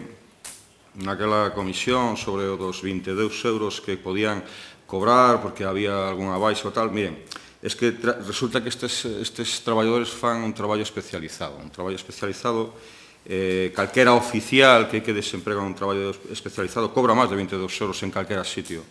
F: naquela comisión sobre o dos 22 euros que podían cobrar porque había algunha baixa ou tal, miren, es que resulta que estes traballadores fan un traballo especializado. Un traballo especializado, calquera oficial que desemprega un traballo especializado cobra máis de 22 euros en calquera sitio.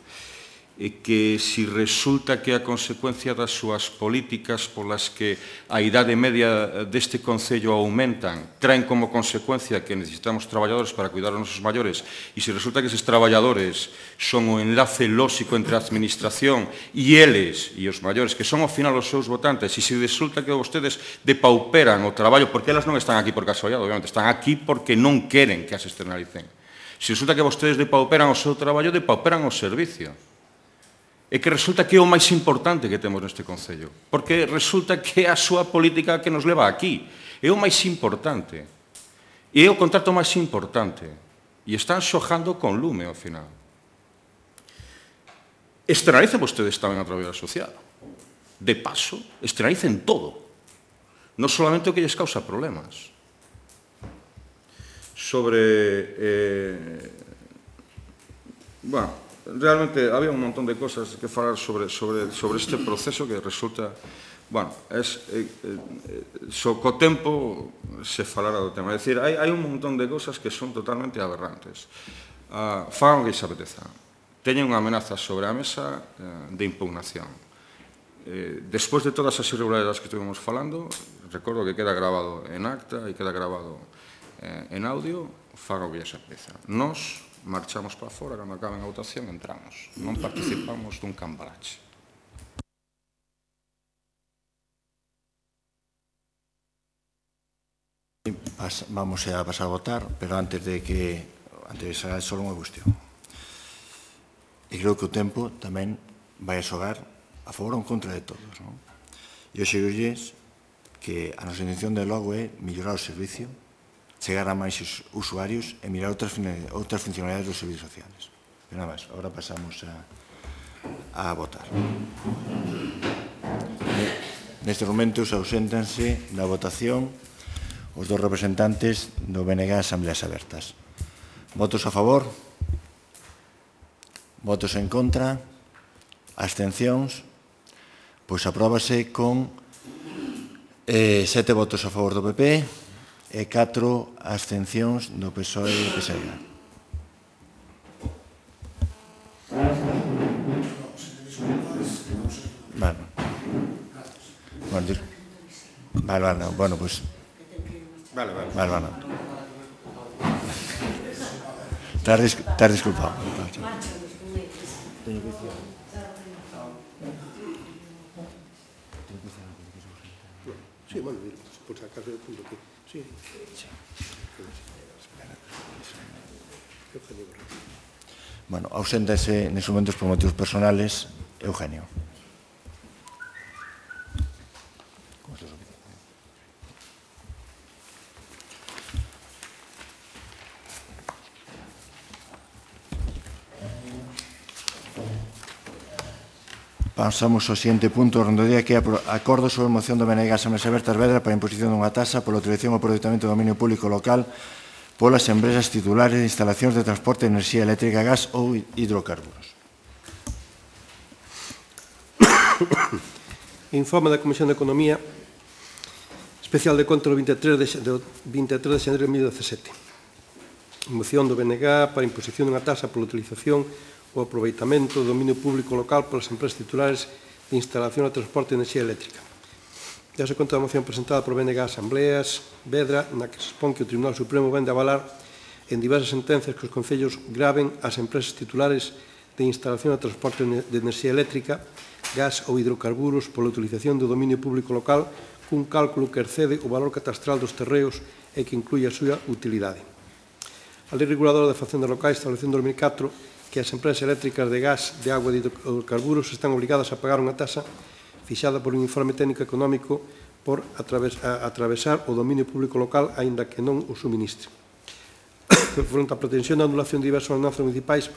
F: E que si resulta que a consecuencia das súas políticas polas que a idade media deste Concello aumentan, traen como consecuencia que necesitamos traballadores para cuidar os nosos maiores, e se resulta que eses traballadores son o enlace lóxico entre a administración e eles, e os maiores, que son ao final os seus votantes, e se resulta que vostedes depauperan o traballo, porque elas non están aquí por casualidade, obviamente, están aquí porque non queren que as externalicen. Se resulta que vostedes depauperan o seu traballo, depauperan o servicio. É que resulta que é o máis importante que temos neste Concello, porque resulta que é a súa política que nos leva aquí. É o máis importante. E é o contrato máis importante. E están xojando con lume ao final. Externalicen vostedes tamén a traballadora social. De paso, externalicen todo. Non solamente o que lles causa problemas. Bueno, realmente había un montón de cosas que falar sobre este proceso que resulta, bueno, co tempo se falará do tema. É dicir, hai un montón de cosas que son totalmente aberrantes. Fagan o que se apeteza. Teñen unha amenaza sobre a mesa de impugnación. Despois de todas as irregularidades que estuvimos falando, recordo que queda grabado en acta e queda grabado en audio, fagan o que se apeteza. Nos marchamos para fora, cando acaben a votación entramos. Non participamos dun cambalache.
A: Vamos a pasar a votar, pero antes de saber só unha cuestión. E creo que o tempo tamén vai a xogar a favor ou en contra de todos, non? E eu xerolles que a nosa intención de logo é mellorar o servicio, chegar a máis usuarios e mirar outras funcionalidades dos servicios sociales. Pero nada máis, agora pasamos a votar. Nestes momentos auséntanse da votación os dos representantes do BNG Asambleas Abertas. Votos a favor? Votos en contra? Abstencións? Pois apróbase con 7 votos a favor do PP e 4 abstencións do PSOE e PSE. Bueno, pois... Vale. Estás disculpado.
C: Sí, bueno, por si acaso el punto que... Sí.
A: Bueno, auséntase neses momentos por motivos personales Eugenio. Pasamos ao seguinte punto do día, que é acordo sobre a moción do BNG Asamblea Abertas Vedra para a imposición dunha taxa pola utilización ou aproveitamento do dominio público local polas empresas titulares de instalacións de transporte de enerxía eléctrica, gas ou hidrocarburos.
C: Informe da Comisión de Economía especial de conta do 23 de xaneiro de 2017. Moción do BNG para a imposición dunha taxa pola utilización o aproveitamento do dominio público local polas empresas titulares de instalación de transporte de enerxía eléctrica. Dase conta da moción presentada por BNG Asambleas Vedra, na que se expón que o Tribunal Supremo vende avalar en diversas sentencias que os concellos graven as empresas titulares de instalación de transporte de enerxía eléctrica, gas ou hidrocarburos pola utilización do dominio público local cun cálculo que excede o valor catastral dos terreos e que inclui a súa utilidade. A Lei Reguladora de Facendas Locais estableceu en 2004 que as empresas eléctricas de gas, de agua e de hidrocarburos están obrigadas a pagar unha taxa fixada por un informe técnico económico por atravesar o dominio público local, aínda que non o suministre. Fronte á pretensión de anulación de diversas ordenanzas municipais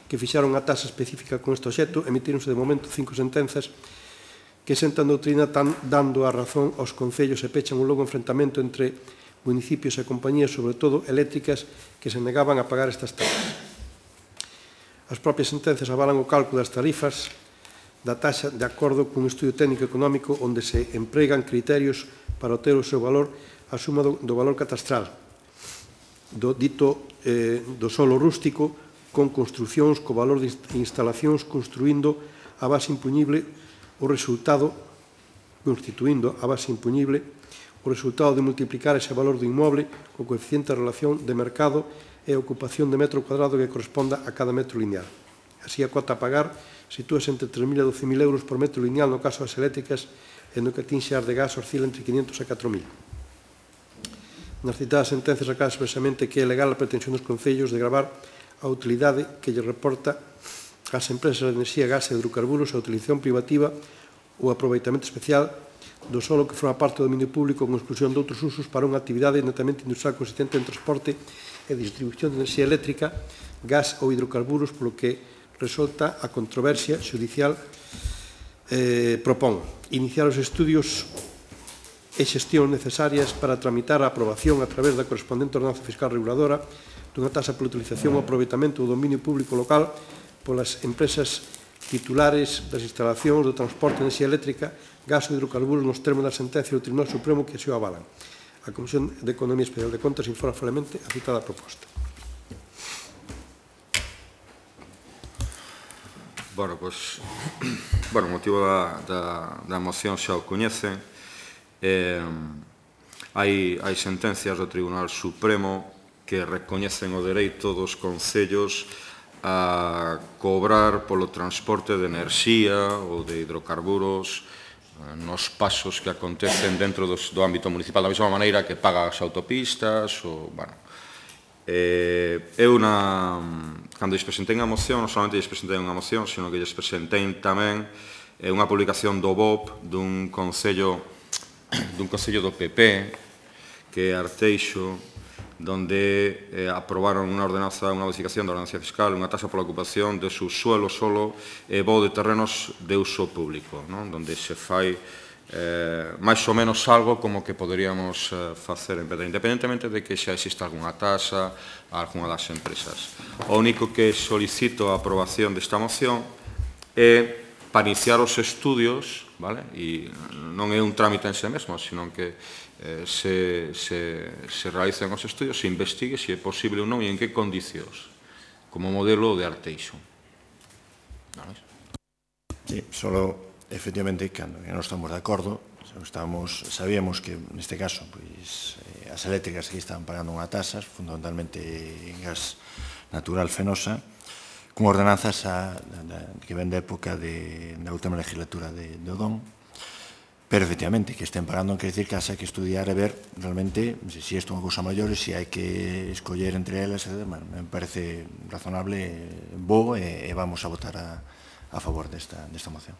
C: que fixaron unha taxa específica con este obxecto, emitíronse de momento 5 sentenzas que sentan doutrina dando a razón aos concellos e pechan un longo enfrentamento entre municipios e compañías, sobre todo eléctricas, que se negaban a pagar estas taxas. As propias sentencias avalan o cálculo das tarifas da taxa de acordo cun estudio técnico económico onde se empregan criterios para obter o seu valor a suma do valor catastral do solo rústico con construcións co valor de instalacións constituindo a base impuñible o resultado de multiplicar ese valor do inmoble co coeficiente de relación de mercado e ocupación de metro cuadrado que corresponda a cada metro lineal. Así, a cota a pagar sitúase entre 3.000 e 12.000 euros por metro lineal no caso das eléctricas e no que atinxe as de gas oscila entre 500 e 4.000. Nas citadas sentencias acaba expresamente que é legal a pretensión dos concellos de gravar a utilidade que lle reporta ás empresas de enerxía, gas e hidrocarburos a utilización privativa ou aproveitamento especial do solo que forma parte do dominio público con exclusión de outros usos para unha actividade netamente industrial consistente en transporte e distribución de enerxía eléctrica, gas ou hidrocarburos, polo que resulta a controversia xudicial propón iniciar os estudios e xestións necesarias para tramitar a aprobación a través da correspondente ordenanza fiscal reguladora dunha taxa pola utilización ou aproveitamento do dominio público local polas empresas titulares das instalacións do transporte de enerxía eléctrica, gas ou hidrocarburos nos termos da sentencia do Tribunal Supremo que así o avalan. A Comisión de Economía Especial de Contas informa formalmente a citada proposta.
F: Bueno, pois, o motivo da moción xa o coñecen. Hai sentencias do Tribunal Supremo que recoñecen o dereito dos concellos a cobrar polo transporte de enerxía ou de hidrocarburos nos pasos que acontecen dentro do ámbito municipal, da mesma maneira que paga as autopistas. Cando lles presentei a moción, non solamente lles presentei unha moción, sino que lles presentei tamén unha publicación do BOP dun concello do PP, que é Arteixo, donde aprobaron unha modificación da ordenanza fiscal, unha taxa pola ocupación de subsuelo solo e voo de terrenos de uso público, donde se fai máis ou menos algo como que poderíamos facer en Vedra, independentemente de que xa exista algunha taxa a algunha das empresas. O único que solicito a aprobación desta moción é para iniciar os estudios, e non é un trámite en sí mesmo, sino que se realicen os estudios, se investigue se é posible ou non e en que condicións, como modelo de Arteixo.
A: Sí, solo, efectivamente, cando non estamos de acordo, sabíamos que, neste caso, as eléctricas que estaban pagando unha taxa, fundamentalmente en gas natural fenosa, con ordenanzas que ven da época da última legislatura de Odón, Pero, efectivamente, que estén pagando non quer decir que haxa que estudiar e ver realmente se isto é unha cousa maior e se hai que escoller entre elas. Bueno, me parece razonable, bo, e vamos a votar a favor desta moción.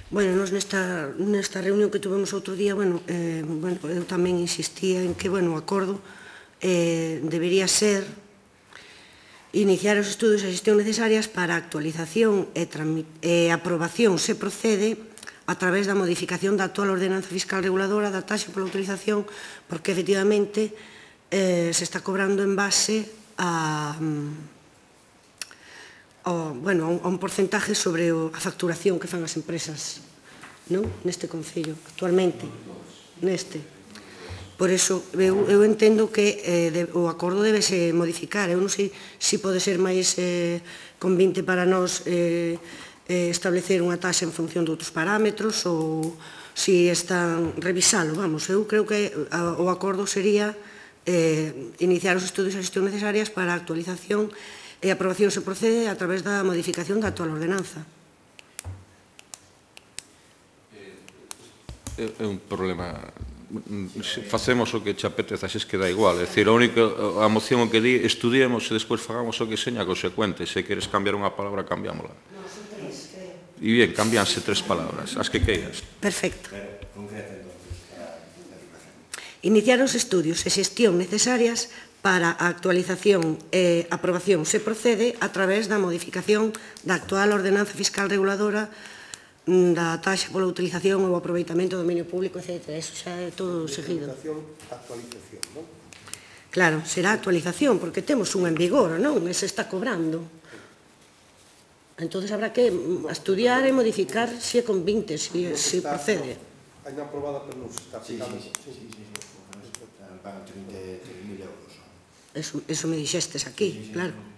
B: Bueno, nos nesta reunión que tuvemos outro día, eu tamén insistía en que, o acordo debería ser iniciar os estudos e xestión necesarias para a actualización e aprobación se procede a través da modificación da actual ordenanza fiscal reguladora da taxa pola utilización, porque, efectivamente, se está cobrando en base a un porcentaje sobre a facturación que fan as empresas neste Concello, actualmente, neste. Por iso, eu entendo que o acordo debese modificar. Eu non sei se pode ser máis convinte para nós establecer unha taxa en función de outros parámetros ou se están revisalo. Eu creo que o acordo sería iniciar os estudios e a xestión necesarias para a actualización e a aprobación se procede a través da modificación da actual ordenanza.
F: É un problema. Facemos o que che apeteza, se queda igual. É dicir, a moción o que di, estudiemos e despois fagamos o que seña consecuente. Se queres cambiar unha palabra, cambiámola. E bien, cambianse 3 palabras, as que queiras.
B: Perfecto. Iniciar os estudios e xestión necesarias para a actualización e aprobación se procede a través da modificación da actual ordenanza fiscal reguladora da taxa pola utilización ou aproveitamento do dominio público, etc. Eso xa é todo seguido.
C: Actualización, non?
B: Claro, será actualización, porque temos unha en vigor, non? E se está cobrando. Entón, habrá que estudiar e modificar se é con 20, se procede.
C: Hai unha aprobada, pero non se está aplicando.
A: Sí. Pagan 33.000 euros.
B: Eso me dixestes aquí, claro.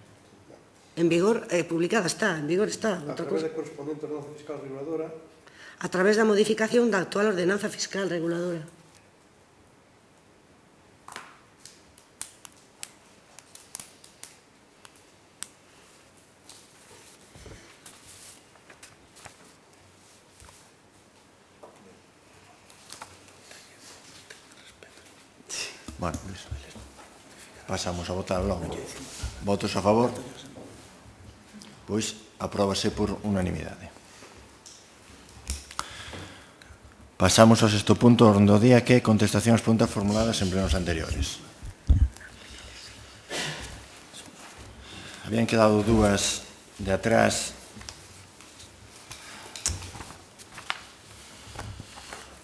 B: En vigor, publicada está, en vigor está.
C: A través da correspondente ordenanza fiscal reguladora.
B: A través da modificación da actual ordenanza fiscal reguladora.
A: Bueno, pasamos a votar logo. Votos a favor? Pois apróbase por unanimidade. Pasamos ao sexto punto do día, que é contestación ás preguntas formuladas en plenos anteriores. Habían quedado dúas de atrás.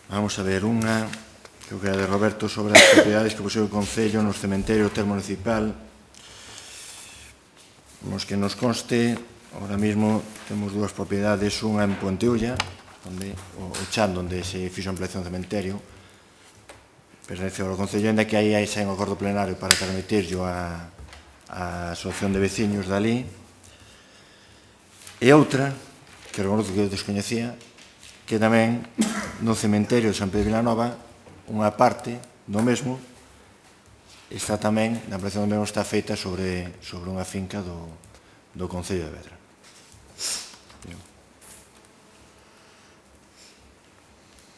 A: Vamos a ver unha, creo que era de Roberto, sobre as propiedades que posee o Concello nos cementerios termo municipal. Nos que nos conste, ahora mismo temos dúas propiedades, unha en Puenteulla, onde o chan onde se fixo a ampliación do cementerio pertence ao Concello, ainda que aí xa hai un acordo plenario para permitirlo a asociación de veciños dali. E outra, que reconozco que eu descoñecía, que tamén no cementerio de San Pedro de Vilanova, unha parte do mesmo está tamén, na ampliación do mesmo está feita sobre unha finca do Concello de Vedra.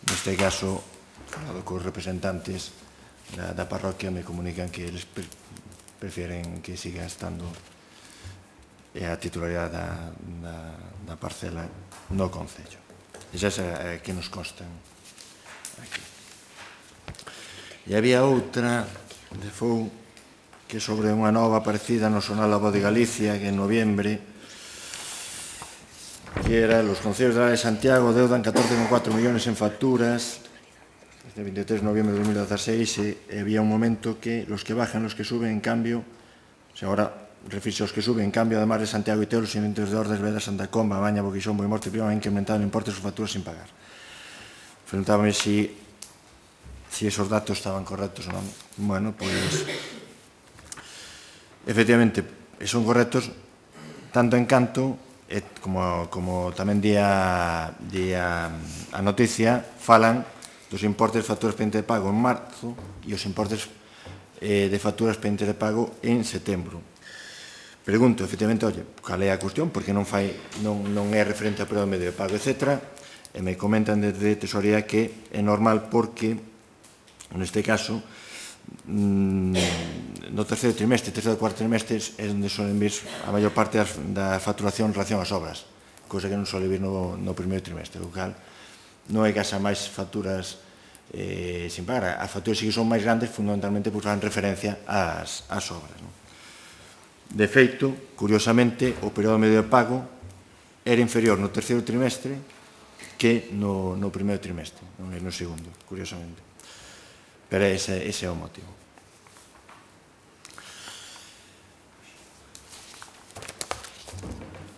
A: Neste caso, falado cos representantes da parroquia, me comunican que eles prefieren que siga estando a titularidade da parcela no Concello. Esas é que nos constan aquí. E había outra de Fou, que sobre unha nova aparecida no Xornal da Voz de Galicia, que en noviembre, que era los concellos de la de Santiago deudan 14,4 millóns en facturas desde el 23 de noviembre de 2016, e había un momento que los que bajan, los que suben, en cambio, agora refirse aos que suben, en cambio, además de Santiago e Teo, los inventos de Ordes, Vedra, Santa Comba, Baña, Boquixón, Boimorte y Prima han incrementado el importe de sus facturas sin pagar. Preguntábame si esos datos estaban correctos ou non. Bueno, pois efectivamente son correctos tanto en canto como tamén di a noticia, falan dos importes de facturas pendientes de pago en marzo e os importes de facturas pendientes de pago en setembro. Pregunto, efectivamente, cal é a cuestión, porque non é referente ao período medio de pago, etc. E me comentan desde Tesorería que é normal porque, neste caso, no terceiro trimestre, terceiro e cuarto trimestre é onde solen vir a maior parte da facturación en relación ás obras, cousa que non sole vir no primeiro trimestre, o cal non é que haxa máis facturas sin pagar. As facturas sí que son máis grandes fundamentalmente porque fan referencia ás obras. De feito, curiosamente, o período medio de pago era inferior no terceiro trimestre que no primeiro trimestre, non é no segundo, curiosamente. Pero ese é o motivo.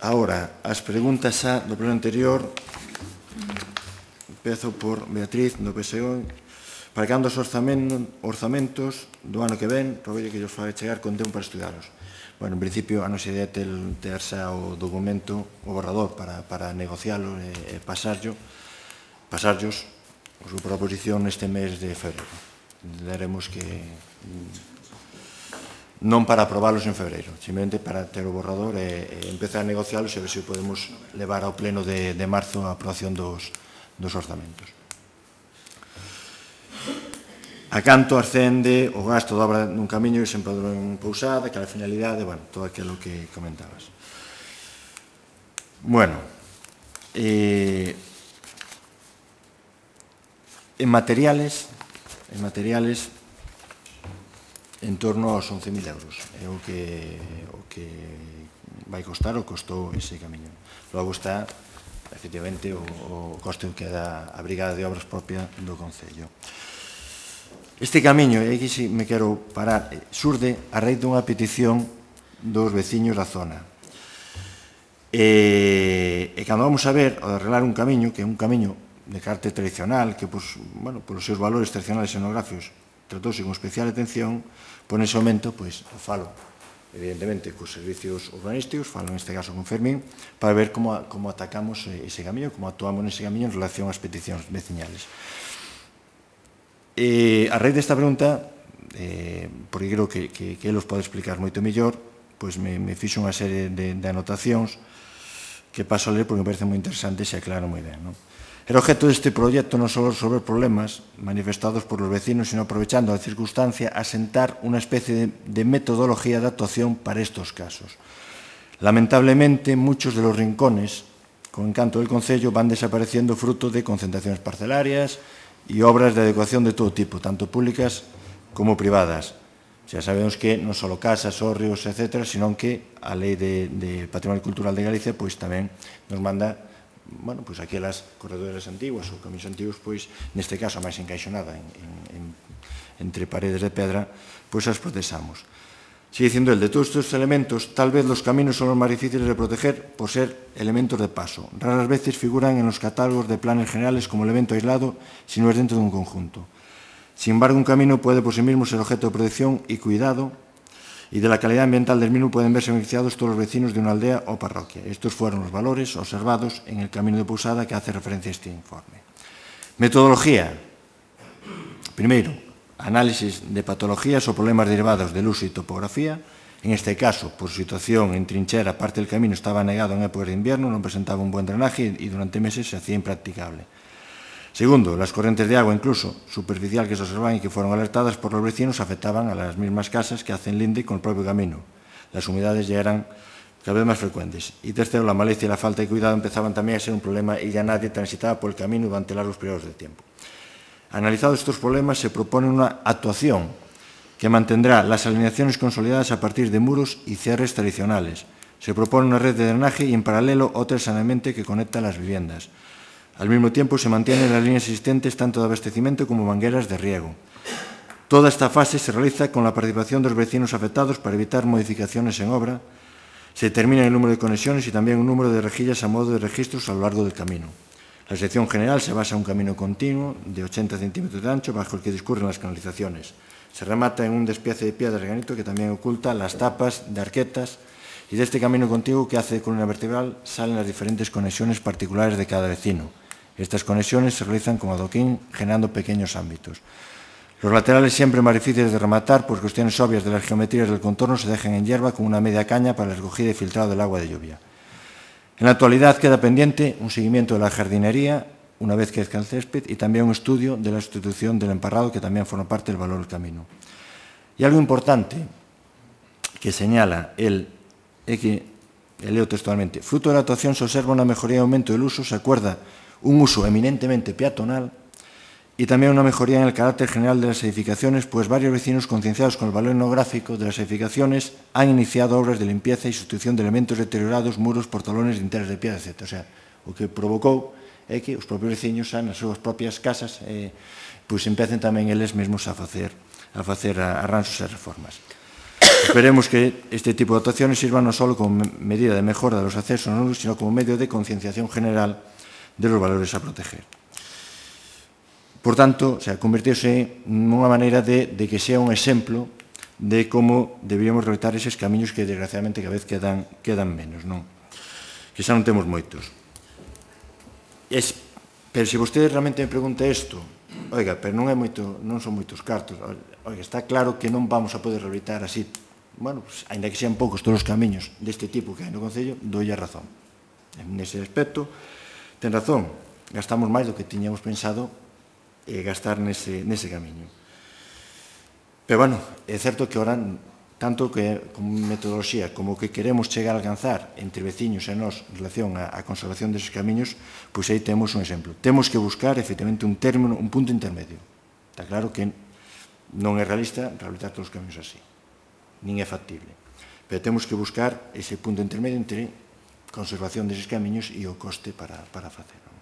A: Ahora, as preguntas do pleno anterior. Empezo por Beatriz, do PSOE. Para cando os orzamentos do ano que ven, roguelle que os faga chegar con tempo para estudiarlos. Bueno, en principio, a nosa idea é ter xa o documento, o borrador, para negociálo e pasarllos o grupo da oposición neste mes de febreiro. Daremos que non para aprobalos en febreiro, simplemente para ter o borrador e empezar a negociálos e ver se podemos levar ao pleno de marzo a aprobación dos orzamentos. A canto ascende o gasto de obra nun camiño que se empadrou en Pousada, que a finalidade, bueno, todo aquilo que comentabas. Bueno, en materiales, en torno aos 11.000 euros. É o que vai costar ou costou ese camiño. Logo está, efectivamente, o coste que dá a Brigada de Obras propia do Concello. Este camiño, e aquí si me quero parar, surde a raíz dunha petición dos veciños da zona. E cando vamos a ver, ao arreglar un camiño, que é un camiño de carácter tradicional, que, polos seus valores tradicionales e xenográficos, tratouse con especial atención, nese momento, falo, evidentemente, cos servicios urbanísticos, falo neste caso con Fermín, para ver como atacamos ese camiño, como actuamos nese camiño en relación ás peticións veciñales. A raíz desta pregunta, porque creo que eles pode explicar moito mellor, me fixo unha serie de anotacións que paso a ler porque me parece moi interesante e se aclaran moi ben. El objeto deste proxecto non só resolver problemas manifestados por los vecinos, sino aprovechando a circunstancia asentar unha especie de metodología de actuación para estos casos. Lamentablemente, muchos de los rincones con encanto del Concello van desapareciendo fruto de concentraciones parcelarias y obras de adecuación de todo tipo, tanto públicas como privadas. Xa sabemos que non só casas, hórreos, etc., sino que a Lei de Patrimonio Cultural de Galicia tamén nos manda aquelas corredores antiguas ou camiños antigos, neste caso, a máis encaixonada entre paredes de pedra, as protexamos. Sigue dicindo el, de todos estos elementos, tal vez los caminos son los más difíciles de proteger por ser elementos de paso. Raras veces figuran en los catálogos de planes generales como elemento aislado si no es dentro de un conjunto. Sin embargo, un camino puede por sí mismo ser objeto de protección y cuidado, y de la calidad ambiental del mismo pueden verse beneficiados todos los vecinos de una aldea o parroquia. Estos fueron los valores observados en el Camino de Pousada que hace referencia a este informe. Metodología. Primero, análisis de patologías o problemas derivados del uso y topografía. En este caso, por su situación en trinchera, parte del camino estaba anegado en épocas de invierno, no presentaba un buen drenaje y durante meses se hacía impracticable. Segundo, las corrientes de agua, incluso superficial, que se observan y que fueron alertadas por los vecinos, afectaban a las mismas casas que hacen linde con el propio camino. Las humedades ya eran cada vez más frecuentes. Y tercero, la maleza y la falta de cuidado empezaban también a ser un problema y ya nadie transitaba por el camino durante largos periodos de tiempo. Analizados estos problemas, se propone una actuación que mantendrá las alineaciones consolidadas a partir de muros y cierres tradicionales. Se propone una red de drenaje y, en paralelo, otra de saneamiento que conecta las viviendas. Al mismo tiempo, se mantienen las líneas existentes tanto de abastecimiento como mangueras de riego. Toda esta fase se realiza con la participación de los vecinos afectados para evitar modificaciones en obra. Se determina el número de conexiones y también un número de rejillas a modo de registros a lo largo del camino. La sección general se basa en un camino continuo de 80 centímetros de ancho bajo el que discurren las canalizaciones. Se remata en un despiece de piedra de granito que también oculta las tapas de arquetas, y de este camino contiguo que hace de columna vertebral salen las diferentes conexiones particulares de cada vecino. Estas conexiones se realizan con adoquín, generando pequeños ámbitos. Los laterales, siempre más difíciles de rematar por cuestiones obvias de las geometrías del contorno, se dejan en hierba con una media caña para la recogida y filtrado del agua de lluvia. En la actualidad queda pendiente un seguimiento de la jardinería una vez que crezca el césped, y también un estudio de la sustitución del emparrado, que también forma parte del valor del camino. Y algo importante que señala él, que leo textualmente: fruto de la actuación se observa una mejoría y aumento del uso, se acuerda un uso eminentemente peatonal y también una mejoría en el carácter general de las edificaciones, pues varios vecinos concienciados con el valor etnográfico de las edificaciones han iniciado obras de limpieza y sustitución de elementos deteriorados, muros, portalones, dinteles de piedra, etc. O sea, o que provocou é que os propios veciños nas súas propias casas pois empecen tamén eles mesmos a facer arranxos e reformas. Esperemos que este tipo de actuaciones sirvan non só como medida de mejora de los accesos, sino como medio de concienciación general de los valores a proteger. Por tanto, convertirse nunha maneira de que sea un exemplo de como deberíamos realizar eses camiños que, desgraciadamente, cada vez quedan menos, non? Que xa non temos moitos. Pero se vostede realmente me pregunta isto, oiga, pero non son moitos cartos, oiga, está claro que non vamos a poder rehabilitar así, bueno, ainda que sean poucos todos os camiños deste tipo que hai no Concello, doulle a razón. Nese aspecto, ten razón, gastamos máis do que tiñamos pensado gastar nese camiño. Pero, bueno, é certo que ahora, tanto que como metodoloxía como que queremos chegar a alcanzar entre veciños e nós en relación á conservación deses camiños, pois aí temos un exemplo. Temos que buscar, efectivamente, un punto intermedio. Está claro que non é realista rehabilitar todos os camiños así, nin é factible. Pero temos que buscar ese punto intermedio entre conservación deses camiños e o coste para facelo.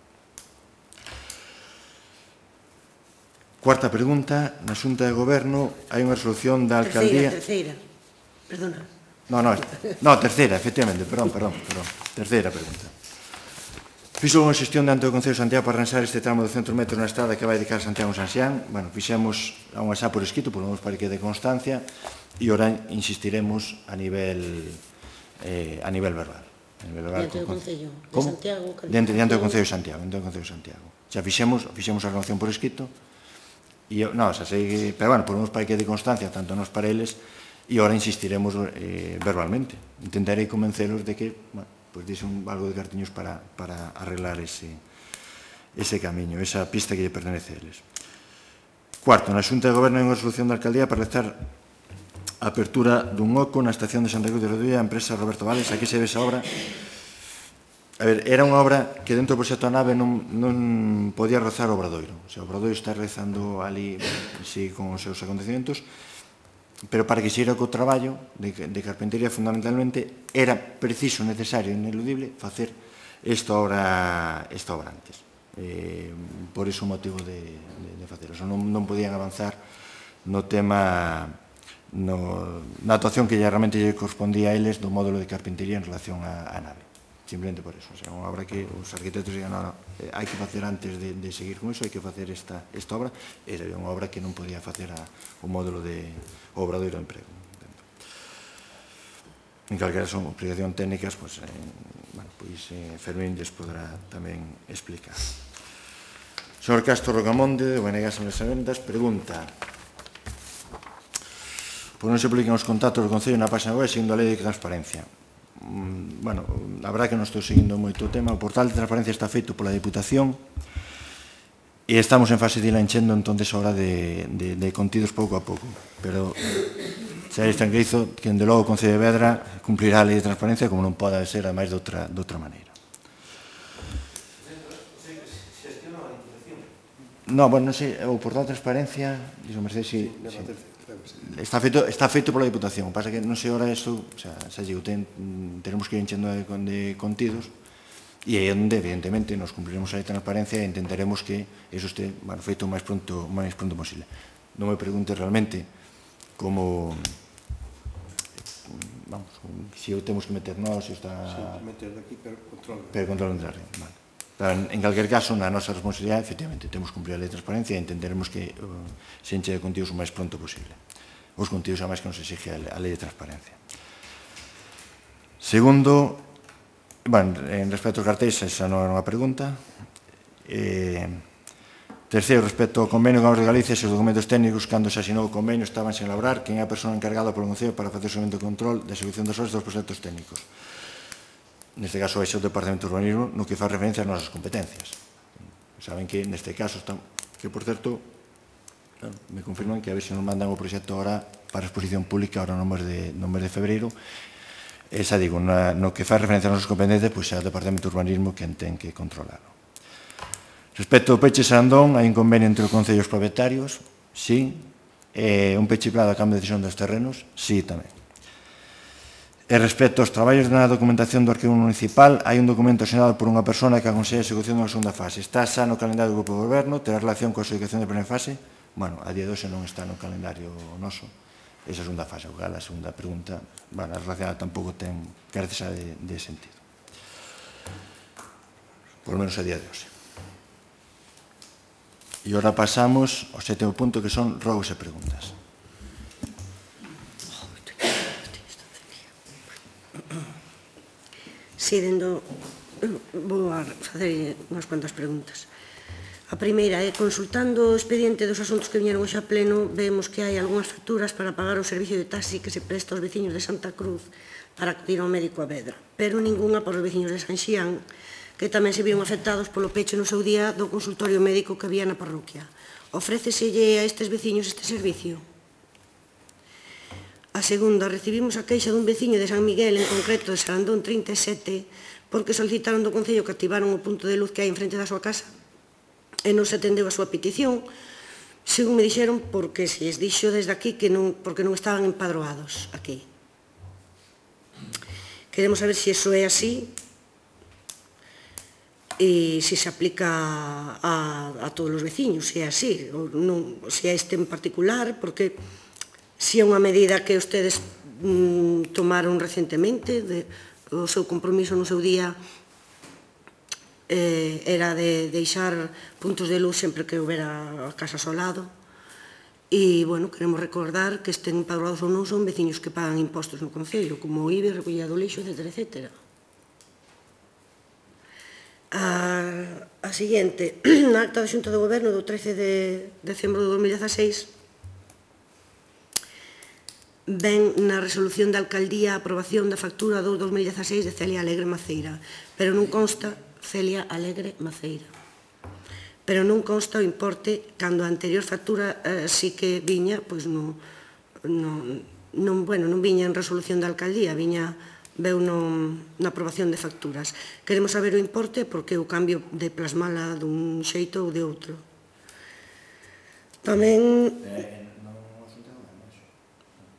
A: Cuarta pregunta, na Xunta de Goberno hai unha resolución da Alcaldía...
B: Terceira, perdona.
A: No, terceira, efectivamente, perdón. Terceira pregunta. Fixo unha xestión diante do Concello de Santiago para arranxar este tramo de 200 metros na estrada que vai de cara a Santiago San Xián. Bueno, fixemos unha xa por escrito, por lo menos para que de constancia, e ora insistiremos a nivel verbal.
B: Diante do Concello de Santiago.
A: Diante do Concello de Santiago. Xa fixemos a renovación por escrito, pero bueno, por lo menos para que de constancia, tanto nós para eles, e ora insistiremos verbalmente. Intentarei convencelos de que, pues dixen algo de cartiños para arreglar ese camiño, esa pista que lle pertenece a eles. Cuarto, na Xunta de Goberno hai unha resolución da Alcaldía para realizar a apertura dun oco na estación de Santa Cruz de Rodilla, a empresa Roberto Vales. Aquí se ve esa obra. A ver, era unha obra que dentro do proxecto da nave non podía rozar o Obradoiro. O sea, o Obradoiro está rezando ali, sí, con os seus acontecimentos, pero para que se ira co traballo de carpintería, fundamentalmente, era preciso, necesario, ineludible, facer esta obra antes. Por ese motivo de facelo. Non podían avanzar no tema, na actuación que realmente lle correspondía a eles do módulo de carpintería en relación á nave. Simplemente por eso. O sea, unha obra que os arquitectos digan, hai que facer antes de seguir con eso, hai que facer esta obra. Era unha obra que non podía facer o módulo de Obradoiro de Emprego. En calquera son explicación técnicas, pois Fermín lles podrá tamén explicar. Señor Castro Rocamonde, de ONG San Luis Avendas, pregunta: por non se publican os contactos do Concello na página web seguindo a lei de transparencia? Bueno, a verdade que non estou seguindo moito o tema. O portal de transparencia está feito pola Diputación e estamos en fase de ir enchendo entonces ahora de contidos pouco a pouco, pero xa les tranquilizo que dende logo o Concello de Vedra cumplirá a lei de transparencia como non pode ser, ademais, de outra maneira. No, bueno, non sei, o portal de transparencia, dixo Mercedes, si está feito pola Diputación. O que pasa que non sei ahora isto, xa digo, tenemos que ir enchendo de contidos e aí onde, evidentemente, nos cumpliremos a lei de transparencia e intentaremos que iso este feito o máis pronto posible. Non me pregunte realmente como, vamos, se o temos que meter nós, se está...
C: Sí, meter daqui, pero control.
A: Pero control de arriba, vale. En calquer caso, na nosa responsabilidade, efectivamente, temos que cumplir a lei de transparencia e entenderemos que se enche de contidos o máis pronto posible. Os contidos, además, que nos exige a lei de transparencia. Segundo, en respecto aos cartéis, esa non era unha pregunta. Terceiro, respecto ao convenio con a de Galicia, os documentos técnicos, cando se asinou o convenio, estaban sen elaborar, quen é a persona encargada polo Concello para facer o seguimento de control da execución das obras dos proxectos técnicos. Neste caso, é o Departamento de Urbanismo, no que faz referencia ás nosas competencias. Saben que neste caso están, que por certo me confirman que a ver se nos mandan o proxecto ahora para exposición pública ahora no mes de febreiro. Esa, digo, no que faz referencia aos nosos competentes, pois é o Departamento de Urbanismo quen ten que controlarlo. Respecto ao peche Sandón, hai un convenio entre os concellos propietarios, sí. Un peche plano a cambio de decisión dos terrenos, sí, tamén. E respecto aos traballos na documentación do arquivo municipal, hai un documento asinado por unha persona que aconsella a execución da segunda fase. Está xa no calendario do Grupo de Goberno, terá relación coa execución da primeira fase. Bueno, a día de hoxe non está no calendario noso. Esa segunda fase, a segunda pregunta, bueno, a relacionada tampouco ten carece de sentido. Por lo menos a día de hoxe. E agora pasamos ao sétimo punto, que son rogos e preguntas.
B: Sí, vou a facer unhas cuantas preguntas. A primeira é, consultando o expediente dos asuntos que viñeron hoxe a pleno, vemos que hai algunhas facturas para pagar o servicio de taxi que se presta aos veciños de Santa Cruz para acudir ao médico a Vedra, pero ninguna para os veciños de San Xián, que tamén se viron afectados polo peche no seu día do consultorio médico que había na parroquia. Ofréceselle a estes veciños este servicio? A segunda, recibimos a queixa dun veciño de San Miguel, en concreto de Sarandón 37, porque solicitaron do Concello que activaron o punto de luz que hai enfrente da súa casa e non se atendeu a súa petición, según me dixeron, porque se lles dixo desde aquí que porque non estaban empadroados aquí. Queremos saber se iso é así e se se aplica a todos os veciños, se é así, ou non, se é este en particular, porque se é unha medida que ustedes tomaron recentemente, o seu compromiso no seu día era de deixar puntos de luz sempre que houbera a casa asolado. E, bueno, queremos recordar que estén empadroados ou non son veciños que pagan impostos no Concello, como o IBE, recollida do lixo, etc. A seguinte, na acta da Xunta do Goberno do 13 de decembro de 2016, ven na resolución da alcaldía a aprobación da factura do 2016 de Celia Alegre Maceira, pero non consta Celia Alegre Maceira. Pero non consta o importe cando a anterior factura sí que viña, pois non viña en resolución da alcaldía, veu na aprobación de facturas. Queremos saber o importe porque o cambio de plasmala dun xeito ou de outro. Tamén...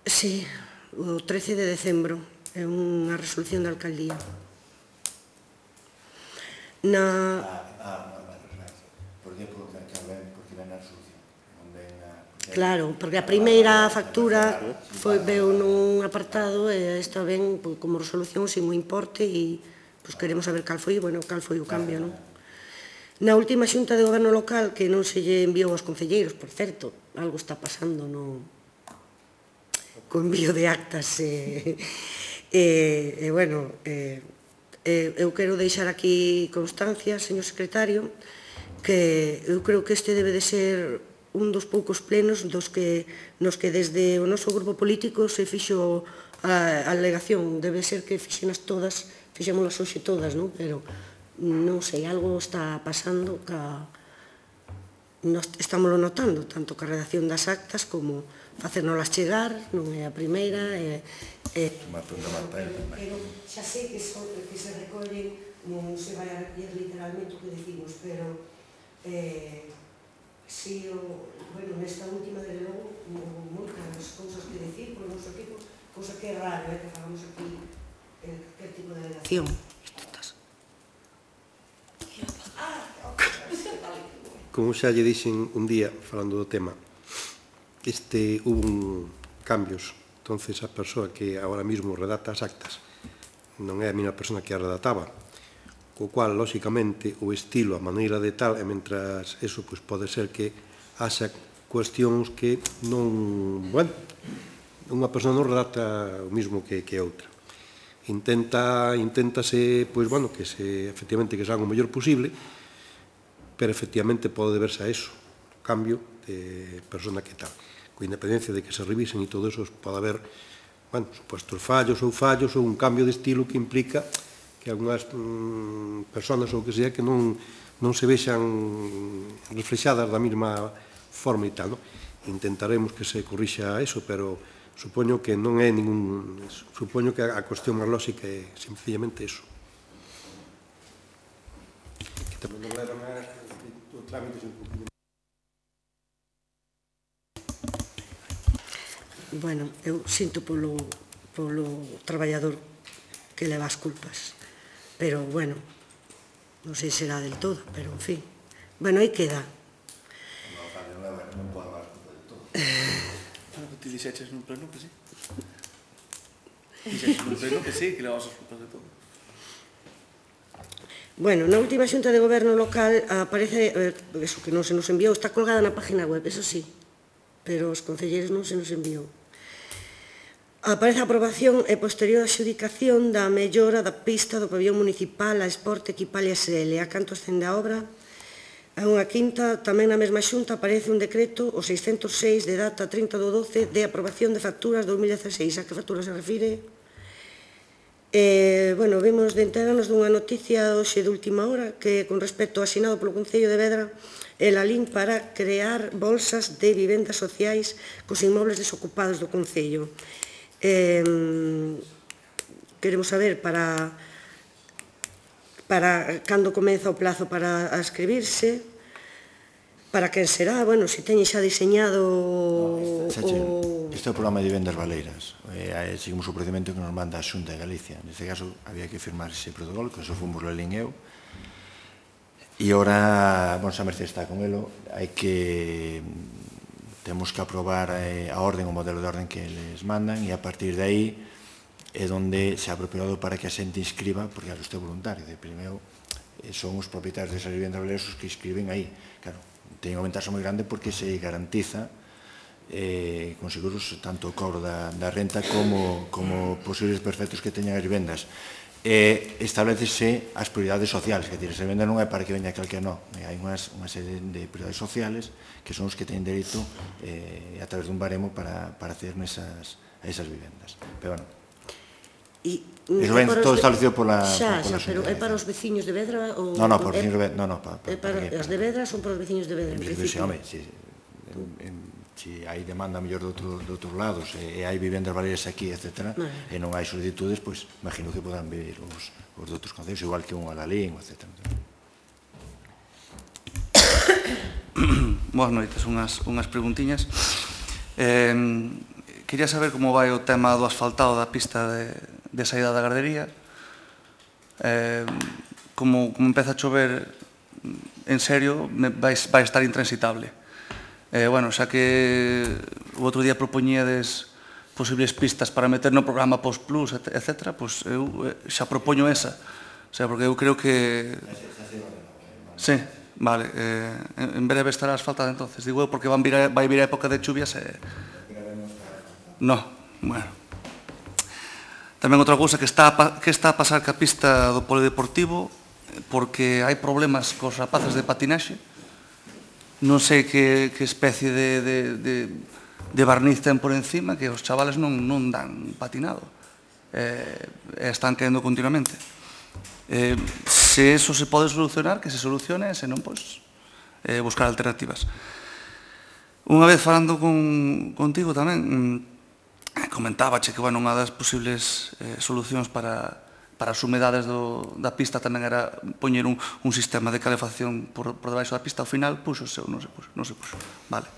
B: Sí, o 13 de decembro, é unha resolución da alcaldía. Claro, porque a primeira factura veu nun apartado e esta ven como resolución sin o importe e queremos saber cal foi o cambio, non? Na última xunta de goberno local, que non se lle enviou aos concelleiros, por certo, algo está pasando co envío de actas eu quero deixar aquí constancia, señor secretario, que eu creo que este debe de ser un dos poucos plenos nos que desde o noso grupo político se fixo a alegación. Debe ser que fixémolas hoxe todas, non? Pero non sei, algo está pasando que estámoslo notando, tanto que a redacción das actas como facernolas chegar, non é a primeira. Pero xa sei que se recollen, non se vai a recoller literalmente o que decimos, pero si, nesta última, de logo, moitas cousas que decir por o noso equipo, cousa que é raro, que fagamos aquí que tipo de alegación.
C: Como xa lle dixen un día, falando do tema, hubo cambios. Entonces, a persoa que agora mesmo redacta as actas non é a mesma persona que a redactaba, co cual, lóxicamente, o estilo, a maneira de tal, e mentras eso, pode ser que haxa cuestións que non... Bueno, unha persona non redacta o mesmo que outra. Inténtase, que efectivamente que se haga o mellor posible, pero efectivamente pode deberse a eso, cambio de persona que tal. Con independencia de que se revisen e todo eso, pode haber supuestos fallos ou un cambio de estilo que implica que algunhas personas ou que sea que non non se vexan reflexadas da mesma forma e tal. Intentaremos que se corrixa eso, pero supoño que non é ningún... Supoño que a cuestión máis lógica é sencillamente eso. Que tamén non levan o trámite sen cumprimento.
B: Bueno, eu sinto polo traballador que leva as culpas. Pero, bueno, non sei se será del todo, pero, en fin. Bueno, aí queda.
A: Non pode levar as culpas del todo.
G: Claro que ti dixeches nun pleno que sí. Dixeches nun pleno que sí, que levas as culpas de todo.
B: Bueno, na última xunta de goberno local aparece, eso que non se nos enviou, está colgada na página web, eso sí, pero os concelleiros non se nos enviou. Aparece a aprobación e posterior adxudicación da mellora da pista do pabillón municipal a Esporte Equipalia SL. A canto ascende a obra? A unha quinta, tamén na mesma xunta aparece un decreto, o 606, de data 30/12, de aprobación de facturas 2016. A que factura se refire? Bueno, vimos de enterarnos dunha noticia hoxe de última hora que con respecto ao asinado polo Concello de Vedra el alín para crear bolsas de vivendas sociais cos inmobles desocupados do Concello. Queremos saber para cando comeza o plazo para escribirse, para quen será, bueno, se teñe xa diseñado
A: Este é o programa de vivendas baleiras. Seguimos o procedimento que nos manda a Xunta de Galicia. Neste caso, había que firmar ese protocolo, que eso fomos Lelín e eu. E ora, bueno, xa Mercedes está con elo, temos que aprobar a orden, o modelo de orden que les mandan, e a partir de aí é onde se abre o período para que a xente inscriba, porque isto é voluntario, de primeiro son os propietarios desas vivendas baleiras os que inscriben aí. Claro, ten unha ventaxa moi grande porque se garantiza con seguros tanto o cobro da renta como posibles perfectos que teñan as vivendas. Establecese as prioridades sociales, que esa vivenda non é para que veña calquera, non. Hai unha serie de prioridades sociales que son os que teñen dereito a través dun baremo para acceder a esas vivendas. Pero, bueno, iso ven todo establecido pola Xunta.
B: Pero é para os veciños de Vedra?
A: Non, para os veciños de Vedra, non.
B: As de Vedra son para os veciños de Vedra, en principio.
A: Home, se hai demanda mellor de outros lados e hai vivendas baleiras aquí, etc., e non hai solicitudes, pois imagino que podan vir os de outros concellos, igual que un Alalín, etc.
G: Boas noites, unhas preguntiñas. Quería saber como vai o tema do asfaltado da pista de saída da gardería. Como empeza a chover en serio, vai estar intransitable. Bueno, xa que o outro día propoñíades posibles pistas para meter no programa Post Plus, etc., pois eu xa propoño esa. O sea, porque eu creo que... Sí, vale. En breve estará asfaltada, entonces. Digo eu, porque vai vir a época de chuvias e... No, bueno. Tamén outra cousa que está a pasar ca pista do polideportivo, porque hai problemas cos rapaces de patinaxe. Non sei que especie de barniz ten por encima, que os chavales non dan patinado. Están caendo continuamente. Se eso se pode solucionar, que se solucione, se non, pois, buscar alternativas. Unha vez falando contigo tamén, comentábache que, bueno, unha das posibles solucións para as humedades da pista tamén era poñer un sistema de calefacción por debaixo da pista. Ao final, puxose ou non se puxo. Vale.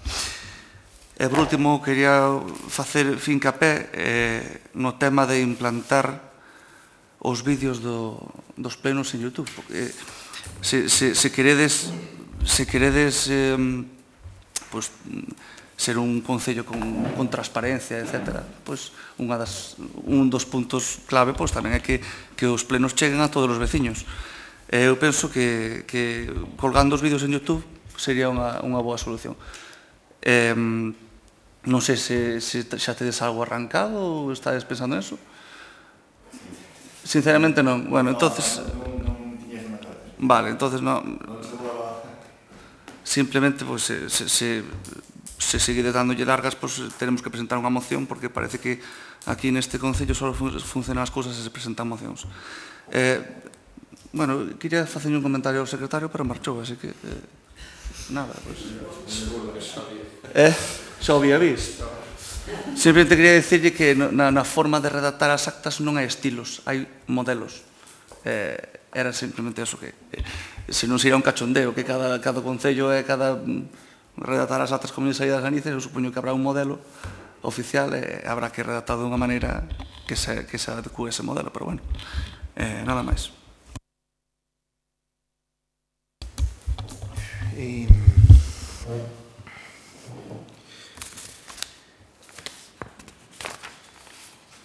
G: E, por último, quería facer fincapé no tema de implantar os vídeos dos plenos en YouTube. Se queredes ser un concello con transparencia, etc., pois un dos puntos clave tamén é que os plenos cheguen a todos os veciños. Eu penso que colgando os vídeos en YouTube sería unha boa solución. Non sei se xa tedes algo arrancado ou estades pensando en eso. Sinceramente non. Bueno, entonces... Vale, entonces non... Simplemente, pois, se seguide dándolle largas, pois teremos que presentar unha moción, porque parece que aquí neste concello só funcionan as cousas se se presentan mocións. Bueno, quería facer un comentario ao secretario, pero marchou, así que... nada, pois... Xa o había visto. Simplemente quería dicirlle que na forma de redactar as actas non hai estilos, hai modelos. Era simplemente eso que... Se non sería un cachondeo que cada concello e cada... redactar as actas como lle saídas das narices, eu supoño que habrá un modelo oficial e habrá que redactar de unha maneira que se adecue ese modelo, pero bueno, nada máis.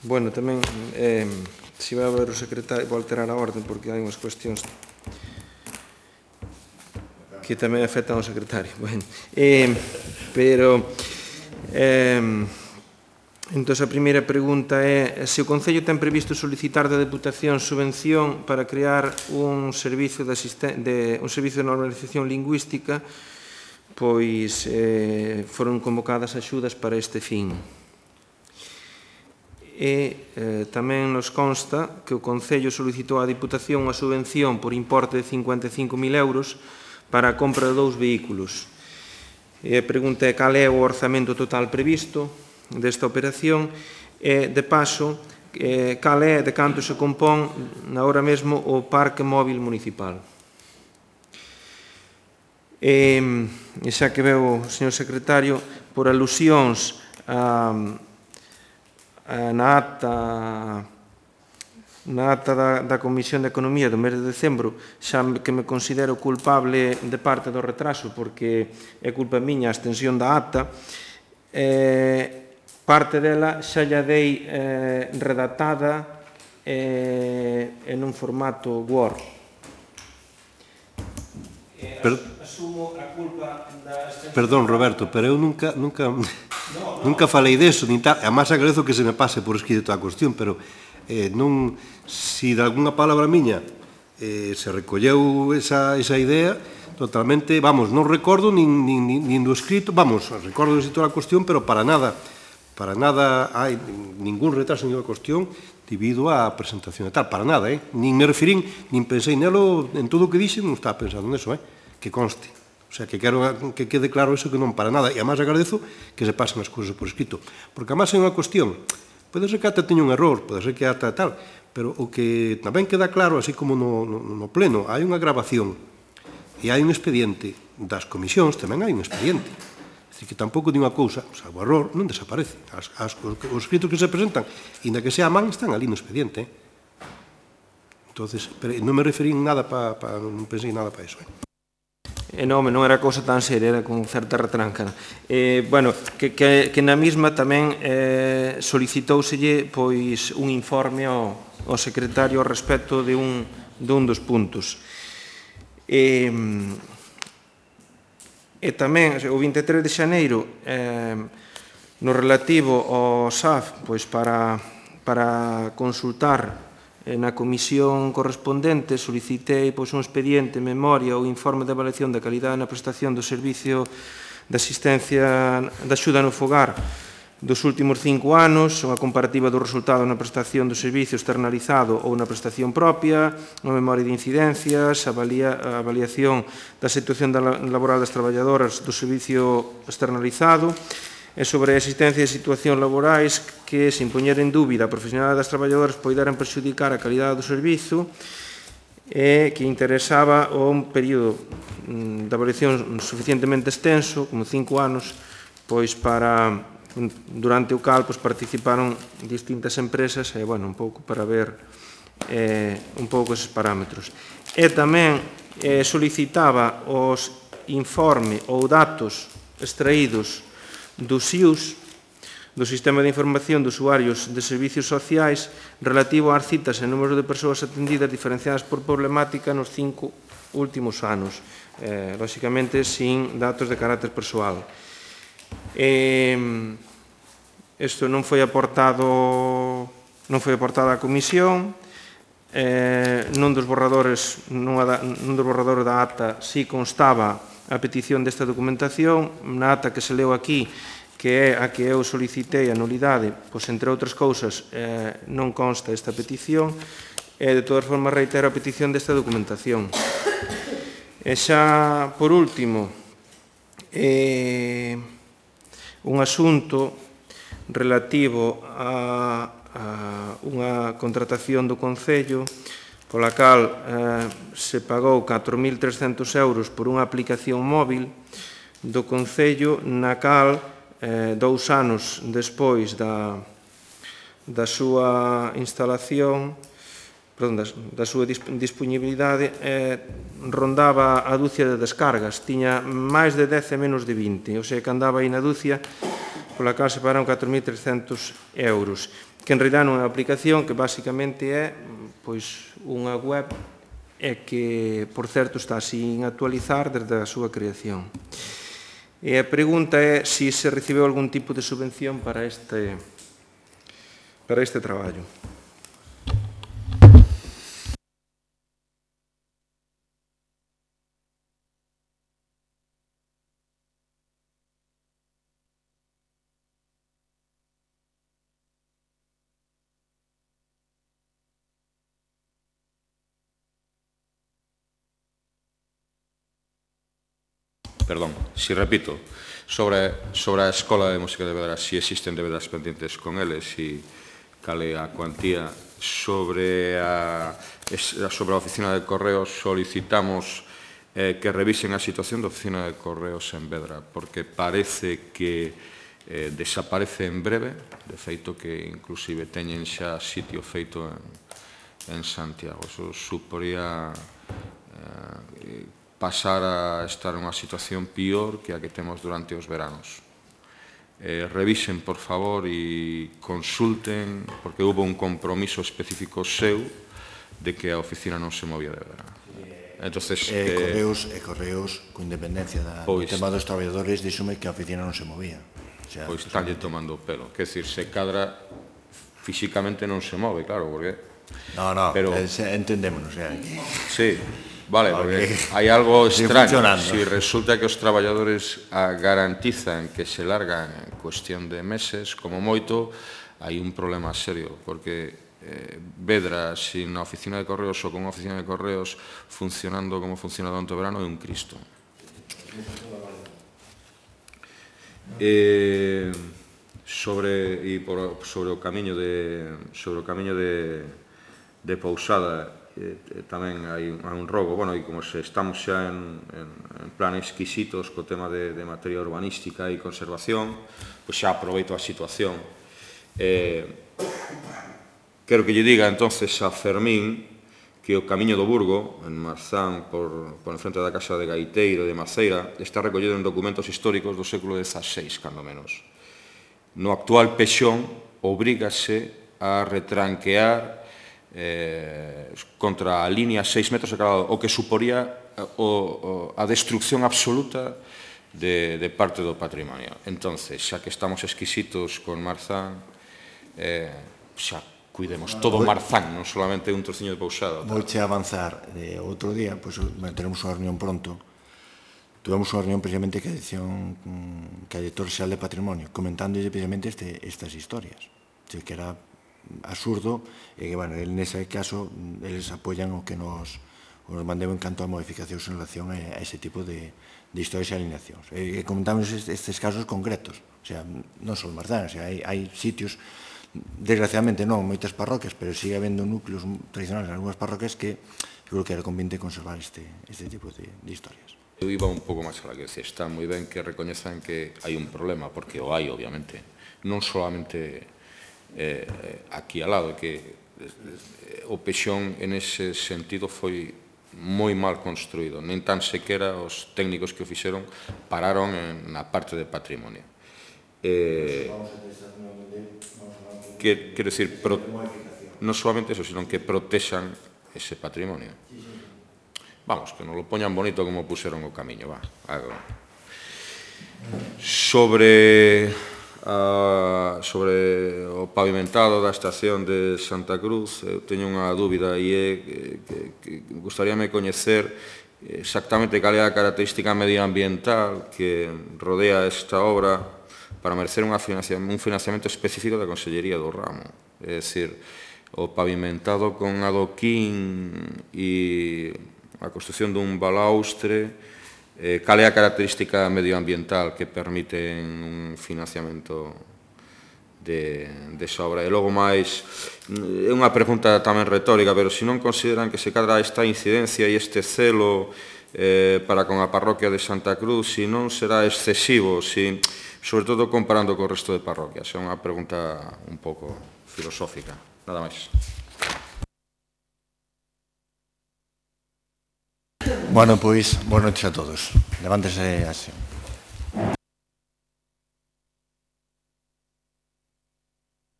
D: Bueno, tamén, se vai a ver o secretario, vou alterar a orden porque hai unhas cuestións que tamén afectan ao secretario. Bueno, pero, entón, a primeira pregunta é se o Concello ten previsto solicitar da Deputación subvención para crear un servicio de normalización lingüística, pois foron convocadas axudas para este fin. E tamén nos consta que o Concello solicitou á Diputación unha subvención por importe de 55.000 euros para a compra de 2 vehículos. E a pregunta é cal é o orzamento total previsto desta operación e, de paso, cal é de canto se compón agora mesmo o parque móvil municipal. E xa que veo o señor secretario, por alusións na ata da Comisión de Economía do mes de decembro, xa que me considero culpable de parte do retraso, porque é culpa miña a extensión da ata, parte dela xa lla dei redactada en un formato Word. Asumo a culpa da extensión...
C: Perdón, Roberto, pero eu nunca falei deso, nin tal. Además, agradezo que se me pase por escrito a cuestión, pero non, se de alguna palabra miña se recolleu esa idea, totalmente, vamos, non recordo nin do escrito, vamos, recordo do escrito da cuestión, pero para nada hai ningún retraso en a cuestión debido á presentación e tal, para nada, nin me referín, nin pensei nelo, en todo o que dixen, non estaba pensando neso, que conste. O sea, que quero que quede claro eso, que non para nada, e además agradezo que se pasen as cousas por escrito, porque además é unha cuestión, pode ser que ata teña un error, pode ser que ata tal, pero o que tamén queda claro, así como no pleno, hai unha grabación e hai un expediente das comisións, tamén hai un expediente. É dicir, que tampouco di unha cousa, salvo error, non desaparece. Os escritos que se presentan, inda que sea a man, están ali no expediente. Entonces, non me referín nada non pensei nada para iso.
D: Non era cousa tan seria, era con certa retranca. Bueno, que na mesma tamén solicitóuselle pois un informe ao secretario ao respecto de un dos puntos. E tamén, o 23 de xaneiro, no relativo ao SAF, pois para consultar na comisión correspondente, solicitei un expediente, memoria ou informe de avaliación da calidade na prestación do servicio de asistencia da axuda no fogar dos últimos 5 anos, unha comparativa do resultado na prestación do servicio externalizado ou na prestación propia, unha memoria de incidencias, a avaliación da situación laboral das traballadoras do servicio externalizado, e sobre a existencia de situacións laborais que, sen poñer en dúbida a profesionalidade das traballadoras, poideran perxudicar a calidade do servizo e que interesaba un período de avaliación suficientemente extenso, como 5 anos, pois durante o cal participaron distintas empresas e, bueno, un pouco para ver un pouco eses parámetros. E tamén solicitaba os informes ou datos extraídos dos SIUS, do Sistema de Información de Usuarios de Servicios Sociais, relativo ás citas e número de persoas atendidas diferenciadas por problemática nos 5 últimos anos, lóxicamente sin datos de carácter persoal. Isto non foi aportado á Comisión, nun dos borradores da ata si constaba a petición desta documentación, na ata que se leu aquí, que é a que eu solicitei a nulidade, pois, entre outras cousas, non consta esta petición, De todas formas, reitero a petición desta documentación. E xa, por último, un asunto relativo a unha contratación do Concello pola cal se pagou 4.300 euros por unha aplicación móvil do Concello na cal 2 anos despois da súa instalación, da súa disponibilidade, rondaba a dúcia de descargas. Tiña máis de 10 e menos de 20, ou seja, que andaba aí na dúcia, pola cal se pagaron 4.300 euros, que en realidad non é unha aplicación, que basicamente é unha web e que, por certo, está sin actualizar desde a súa creación. E a pregunta é se se recibeu algún tipo de subvención para este traballo.
F: Perdón, si repito, sobre a Escola de Música de Vedra, si existen debedas pendientes con eles, si cale a cuantía sobre a Oficina de Correos, solicitamos que revisen a situación da Oficina de Correos en Vedra, porque parece que desaparece en breve, de feito que inclusive teñen xa sitio feito en Santiago. Eso suporía pasar a estar nunha situación pior que a que temos durante os veranos. Revisen, por favor, e consulten, porque houve un compromiso específico seu de que a oficina non se movía de Vedra.
A: Correos, con independencia do tema dos traballadores, díxome que a oficina non se movía.
F: Pois estalle tomando o pelo. Quer dizer, se cadra físicamente non se move, claro, porque...
A: No, entendémonos.
F: Sí. Vale, porque hai algo extraño. Si resulta que os traballadores garantizan que se largan en cuestión de meses, como moito, hai un problema serio, porque Vedra, sin a oficina de correos ou con a oficina de correos funcionando como funciona durante o verano, é un Cristo. Sobre o camiño de Pousada, tamén hai un rogo, e como se estamos xa en plan exquisitos co tema de materia urbanística e conservación, pois xa aproveito a situación. Quero que lle diga entonces a Fermín que o camiño do Burgo, en Marzán, por enfrente da casa de Gaiteiro de Maceira, está recollido en documentos históricos do século XVI, cando menos. No actual Pexón, obrígase a retranquear contra a línea 6 metros de cada lado, o que suporía a destrucción absoluta de parte do patrimonio. Entonces, xa que estamos exquisitos con Marzán, xa cuidemos todo Marzán, non solamente un trociño de Pousada.
A: Vouche avanzar. Outro día, teremos unha reunión pronto. Tuvemos unha reunión precisamente que a Director Xeral de Patrimonio, comentándolle precisamente estas historias. Que era absurdo, e que, nese caso, eles apoian o que nos mandeu en canto a modificacións en relación a ese tipo de historias e alineacións. E comentamos estes casos concretos, o sea, non só Marzán, hai sitios, desgraciadamente non, moitas parroquias, pero sigue habendo núcleos tradicionales en algunhas parroquias que creo que era conveniente conservar este tipo de historias.
F: Eu iba un pouco máis alá, que está moi ben que recoñezan que hai un problema, porque o hai, obviamente, non solamente aquí al lado, que o Pexón en ese sentido foi moi mal construído, nin tan sequera os técnicos que o fixeron pararon na parte de patrimonio. Quero dicir, non solamente eso, sino que protexan ese patrimonio. Vamos, que non lo poñan bonito como puseron o camiño, va. Sobre o pavimentado da estación de Santa Cruz, eu teño unha dúbida e é que gustaríame coñecer exactamente cal é a característica medioambiental que rodea esta obra para merecer un financiamento específico da Consellería do Ramo. É dicir, o pavimentado con adoquín e a construcción dun balaustre, cal é a característica medioambiental que permite un financiamento desa obra. E logo máis, é unha pregunta tamén retórica, pero se non consideran que se cadra esta incidencia e este celo para con a parroquia de Santa Cruz, se non será excesivo, sobre todo comparando co resto de parroquias. É unha pregunta un pouco filosófica. Nada máis.
A: Bueno, pois, boas noites a todos. Levántese así.